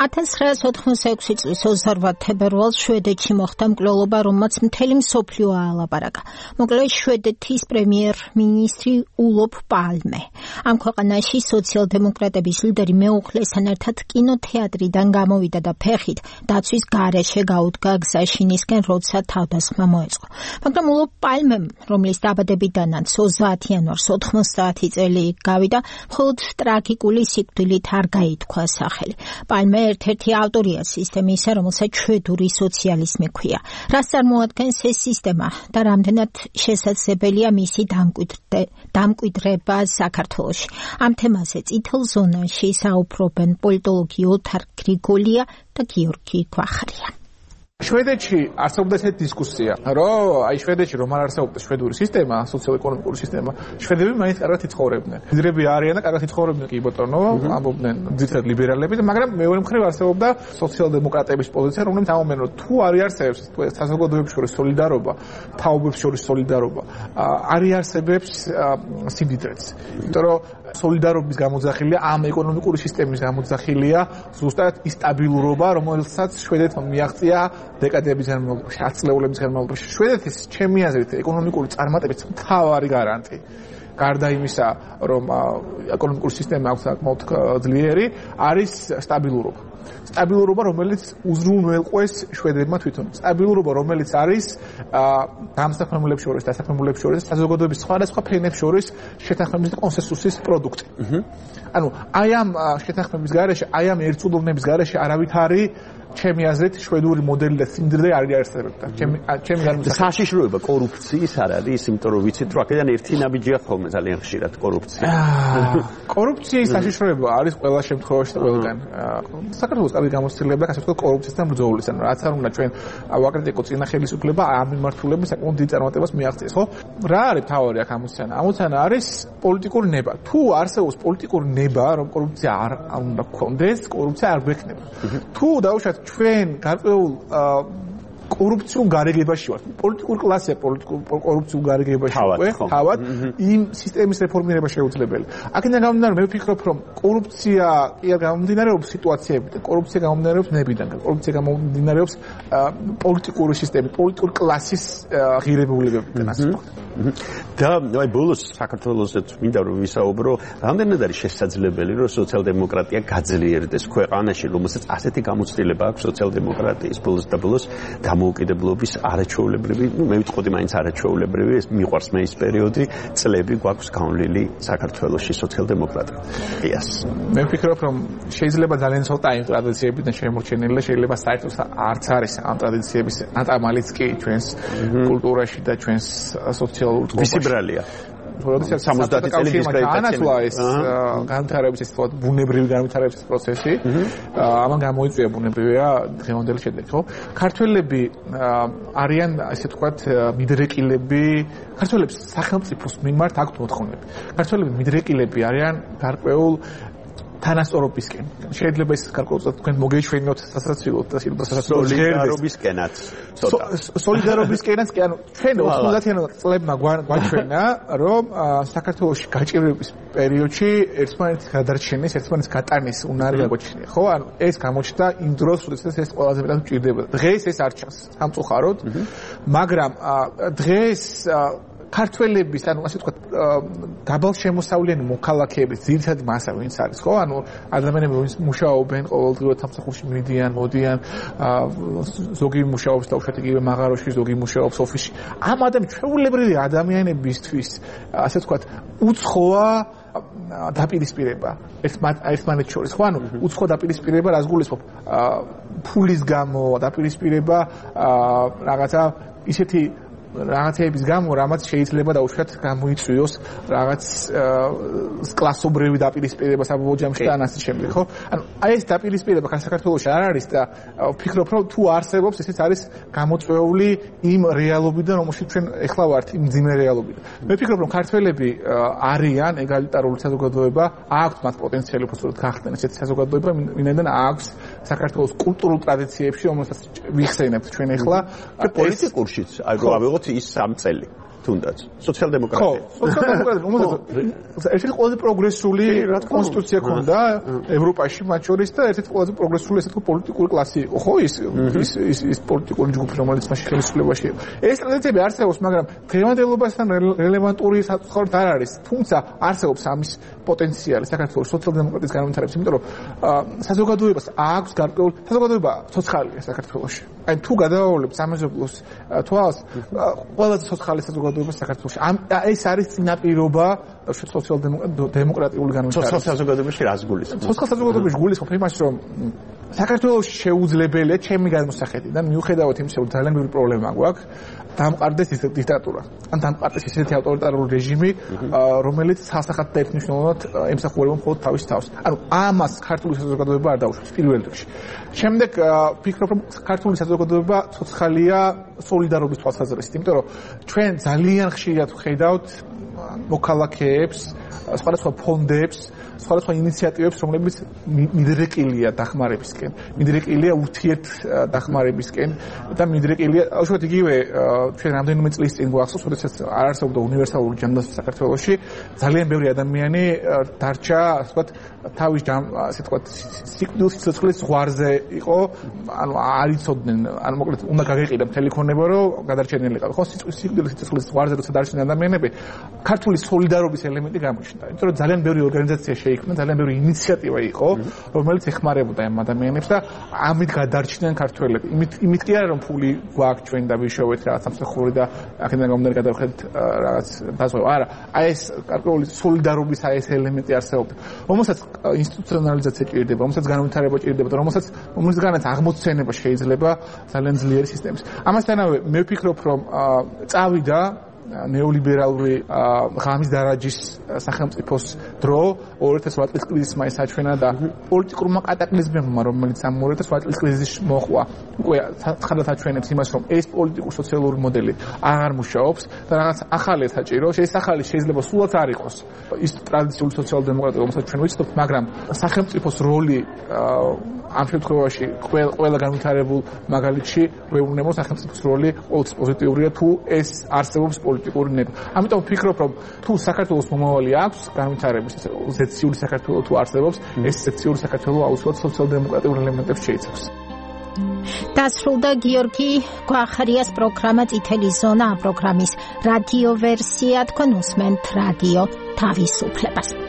1986 წლის 28 თებერვალს შვედეთში მოხდა მკვლელობა, რომელმაც მთელი მსოფლიო აალაპარაკა. მოკლედ შვედეთის პრემიერ-მინისტრი ულოფ პალმე. ამ ქვეყანაში სოციალ-დემოკრატების ლიდერი მეუღლესთან ერთად კინოთეატრიდან გამოვიდა და ფეხით დაცვის გარეშე გაუდგა გზაშინისკენ, როცა თავდასხმა მოეწყო. მაგრამ ულოფ პალმემ, რომლის დაბადებიდანაც 30 იანვარს 90 წელი გავიდა, მხოლოდ ტრაგიკული სიკვდილით არ გაითქვა სახელი. პალმე ერთ-ერთი ავტორია სისტემისა, რომელსაც შვედური სოციალიზმი ჰქვია. რას წარმოადგენს ეს სისტემა და რამდენად შესაძლებელია მისი დამკვიდრება საქართველოში? ამ თემაზე წითელ ზონაში საუბრობენ პოლიტოლოგი ოთარ გრიგოლია და გიორგი გვახარია. შვედეთში არსებობდა ესეთი დისკუსია, რომ აი შვედეთში რომ არ არსებობდა შვედური სისტემა, სოციალ-ეკონომიკური სისტემა, შვედები მაინც კარგად იცხოვრებდნენ. ლიდერები არიან და კარგად იცხოვრებდნენ კი ბატონო, ამბობდნენ ძირითადად ლიბერალები, მაგრამ მეორე მხრივ არსებობდა სოციალ-დემოკრატების პოზიცია, რომელიც ამბობდნენ, რომ თუ არ არსებობს საზოგადოებებს შორის სოლიდარობა, თაობებს შორის სოლიდარობა, არ არსებობს სიმდიდრეც. იმიტომ რომ სოლიდარობის გამოძახილია, ამ ეკონომიკური სისტემის გამოძახილია ზუსტად ის სტაბილურობა, რომელსაც შვედეთმა მიაღწია დეკადების განმავლობაში, 10 წლების განმავლობაში. შვედეთის ჩემი აზრით ეკონომიკური წარმატების მთავარი გარანტი გარდა იმისა, რომ ეკონომიკური სისტემა აქვს საკმაოდ ძლიერი, არის სტაბილურობა. სტაბილურობა, რომელიც უზრუნველყვეს შვედებმა თვითონ. სტაბილურობა, რომელიც არის დამსახურებულებს შორის, დასახურებულებს შორის, საზოგადოების სხვადასხვა ფენებს შორის შეთანხმების კონსენსუსის პროდუქტი. ანუ აი ამ შეთანხმების გარეშე, აი ამ ერთწლოვნების გარეშე არავითარი ჩემი აზრით შვედური მოდელი და სიმდიდრე არ იარსებებდა. ჩემი განმსახურება საშიშროება კორუფციის არ არის, იმიტომ რომ ვიცით რომ აქედან ერთი ნაბიჯია ხოლმე ძალიან ხშირად კორუფცია. კორუფციის საშიშროება არის ყველა შემთხვევაში და ყველგან. საქართველოს კარგი გამოცდილება, ასე ვთქვათ, კორუფციასთან ბრძოლის, ანუ რაც არ უნდა ჩვენ ვაკრიტიკო წინა ხელისუფლება ამ მიმართულებით საკმაოდ დიდ წარმატებას მიაღწიეს, ხო? რა არის თავარი აქ ამოცანა? ამოცანა არის პოლიტიკური ნება. თუ არსებობს პოლიტიკური ნება, რომ კორუფცია არ უნდა გქონდეს, კორუფცია არ გვექნება. თუ დაუშვათ ჩვენ გარკვეულ კორუფციულ გარიგებაში ვართ. პოლიტიკური კლასია კორუფციულ გარიგებაში თავად იმ სისტემის რეფორმირება შეუძლებელი. აქედან გამომდინარე, მე ვფიქრობ, რომ კორუფცია კი არ გამომდინარეობს სიტუაციებიდან, კორუფცია გამომდინარეობს ნებიდან, კორუფცია გამომდინარეობს პოლიტიკური სისტემის, პოლიტიკური კლასის ღირებულებებიდან, ასე ვთქვათ. და აი ბოლოს საქართველოსაც მინდა რომ ვისაუბრო, რამდენად არის შესაძლებელი, რომ სოციალ-დემოკრატია გაძლიერდეს ქვეყანაში, რომელსაც ასეთი გამოცდილება აქვს სოციალ-დემოკრატიის ბოლოს და ბოლოს დამოუკიდებლობის არაჩვეულებრივი, მე ვიტყოდი მაინც არაჩვეულებრივი, ეს მიყვარს მე ის პერიოდი, წლები გვაქვს გავლილი საქართველოში სოციალ-დემოკრატიას. მე ვფიქრობ, რომ შეიძლება ძალიან ცოტა იმ ტრადიციებიდან შემორჩენილი და შეიძლება საერთოდ არც არის ამ ტრადიციების ატამალიც კი ჩვენს კულტურაში და ჩვენს სოციალურ წყობაში. ვისი ბრალია? როდესაც 70 წელი განაცვლა ეს განვითარების ეს თქო ბუნებრივი განვითარების პროცესი, ამან გამოიწვია ბუნებრივია დღევანდელი შედეგი, ხო? ქართველები არიან ასე ვთქვათ მიდრეკილები, ქართველებს სახელმწიფოს მიმართ აქვთ მოთხოვნები. ქართველები მიდრეკილები არიან გარკვეულ თანასწორობისკენ. შეიძლება ეს გარკვეულად თქვენ მოგეჩვენოთ სასაცილოდ და სოლიდარობისკენაც. სოლიდარობისკენაც კი ანუ ჩვენ 90-იან წლებმა გვაჩვენა, რომ საქართველოში გაჭირვების პერიოდში ერთმანეთის გადარჩენის, ერთმანეთის გატანის უნარი გაგვაჩნია, ხო? ანუ ეს გამოჩნდა იმ დროს, როდესაც ეს ყველაზე მეტად მჭირდებოდა. დღეს ეს არ ჩანს სამწუხაროდ, მაგრამ დღეს ქართველების, ანუ ასე ვთქვათ, დაბალშემოსავლიანი მოქალაქეების ძირითადი მასა ვინც არის, ხო? ანუ ადამიანები ვინც მუშაობენ ყოველდღიურად სამსახურში მიდიან, მოდიან, ზოგი მუშაობს დაუშვათ იგივე მაღაროში, ზოგი მუშაობს ოფისში. ამ ჩვეულებრივი ადამიანებისთვის, ასე ვთქვათ, უცხოა დაპირისპირება ერთმანეთს შორის, ხო? ანუ უცხო დაპირისპირება რას გულისხმობ? ფულის გამო დაპირისპირება რაღაცა ისეთი რაღაცების გამო, რამაც შეიძლება დაუშვათ გამოიწვიოს რაღაც კლასობრივი დაპირისპირება საბოლოო ჯამში და ასე შემდეგ, ხო? ანუ აი ეს დაპირისპირება საქართველოში არ არის და ვფიქრობ, რომ თუ არსებობს, ესეც არის გამოწვეული იმ რეალობიდან, რომელშიც ჩვენ ეხლა ვართ, იმ ძიმე რეალობიდან. მე ვფიქრობ, რომ ქართველები არიან ეგალიტარული საზოგადოება, აქვთ მათ პოტენციალი უბრალოდ გახდნენ ესეთი საზოგადოება, ვინაიდან აქვს საქართველოს კულტურულ ტრადიციებში, რომელსაც ვიხსენებთ ჩვენ ეხლა პოლიტიკურშიც, აი რო ავიღოთ ის 3 წელი თუნდაც სოციალ-დემოკრატია. ხო, სოციალ-დემოკრატია, უმეტეს ერთ-ერთი ყველაზე პროგრესული კონსტიტუცია ქონდა ევროპაში მათ შორის და ერთ-ერთი ყველაზე პროგრესული ესეთი პოლიტიკური კლასი იყო, ხო, ის პოლიტიკური ჯგუფი, რომელიც მაშინ ხელისუფლებაში იყო. ეს ტრადიციები არსებობს, მაგრამ დღევანდელობასთან რელევანტური საწყობად არ არის. თუმცა არსებობს ამის პოტენციალი საქართველოს სოციალ-დემოკრატიის განვითარების, იმიტომ რომ საზოგადოებას აქვს გარკვეული საზოგადოება ცოცხალია საქართველოში. აი თუ გადავავლებ სამეზობლოს თვალს, ყველაზე ცოცხალი საზოგადოება საქართველოში. ეს არის წინაპირობა სოციალ-დემოკრატიული განვითარების. ცოცხალ საზოგადოებაში რას გულისხმობ? ცოცხალ საზოგადოებაში გულისხმობ იმას, რომ საქართველოში შეუძლებელია ჩემი გადმოსახედიდან, მიუხედავად იმისა, რომ ძალიან ბევრი პრობლემა გვაქვს, დამყარდეს ეს დიქტატურა. ან დამყარდეს ესეთი ავტორიტარული რეჟიმი, რომელიც სასახად და ერთნიშნულად ემსახურება მხოლოდ თავის თავს. ანუ ამას ქართული საზოგადოება არ დაუშვებს პირველ რიგში. შემდეგ ვფიქრობ, რომ ქართული საზოგადოება ცოცხალია სოლიდარობის თვალსაზრისით, იმიტომ რომ ჩვენ ძალიან ხშირად ვხედავთ მოქალაქეებს სხვადასხვა ფონდებს, სხვადასხვა ინიციატივებს, რომლებიც მიდრეკილია დახმარებისკენ, მიდრეკილია ურთიერთ დახმარებისკენ და მიდრეკილია, უშუალოდ იგივე ჩვენ რამდენიმე წლის წინ გვახსოვს, როდესაც არ არსებობდა უნივერსალური ჯანდაცვა საქართველოში, ძალიან ბევრი ადამიანი დარჩა, ასე ვთქვათ, თავის ასე ვთქვათ, სიკვდილის სიცოცხლის ზღვარზე იყო, ანუ არ იცოდნენ, ანუ მოკლედ უნდა გაგეყიდა მთელი ქონება, რომ გადარჩენილიყავი. ხო, სიკვდილის სიცოცხლის ზღვარზე როცა დარჩნენ ადამიანები, ქართული სოლიდარობის ელემენტი გამოჩნდა. იმიტომ რომ ძალიან ბევრი ორგანიზაცია შეიქმნა, ძალიან ბევრი ინიციატივა იყო, რომელიც ეხმარებოდა ამ ადამიანებს და ამით გადარჩნენ ქართველები. იმით კი არა რომ ფული გვაქვს ჩვენ და ვიშოვეთ რაღაც სამსახური და აქედან გამომდინარე გადავხედეთ რაღაც დაზღვევა. არა, აი ეს ქართული სოლიდარობის აი ეს ელემენტი არსებობდა. რომელსაც ინსტიტუციონალიზაცია ჭირდება, რომელსაც განვითარება ჭირდება და რომელსაც აღმოცენება შეიძლება ძალიან ძლიერი სისტემის. ამასთანავე მე ვფიქრობ, რომ წავიდა ნეოლიბერალური ღამის დარაჯის სახელმწიფოს დრო 2008 წლის კრიზისმა ისაჩვენა და პოლიტიკურმა კატაკლიზმებმა, რომელიც ამ 2008 წლის კრიზისში მოხდა, უკვე ხანდათ აჩვენებს იმას, რომ ეს პოლიტიკურ-სოციალური მოდელი აღარ მუშაობს და რაღაც ახალი საჭირო. ეს ახალი შეიძლება სულაც არ იყოს ის ტრადიციული სოციალ-დემოკრატია, რომელსაც ჩვენ ვიცნობთ, მაგრამ სახელმწიფოს როლი ამ შემთხვევაში ყველა განვითარებულ მაგალითში ვეუბნებო, სახელმწიფოს როლი ყოველთვის პოზიტიურია, თუ ეს არსებობს პოლიტიკური ნება. ამიტომ ვფიქრობ, რომ თუ საქართველოს მომავალი აქვს განვითარების ზეციური საქართველო თუ არსებობს, ეს ზეციური საქართველო აუცილებლად სოციალ-დემოკრატიულ ელემენტებს შეიცავს. დასრულდა გიორგი გვახარიას პროგრამა წითელი ზონა. ამ პროგრამის რადიო ვერსია თქვენ უსმენთ რადიო თავისუფლებას.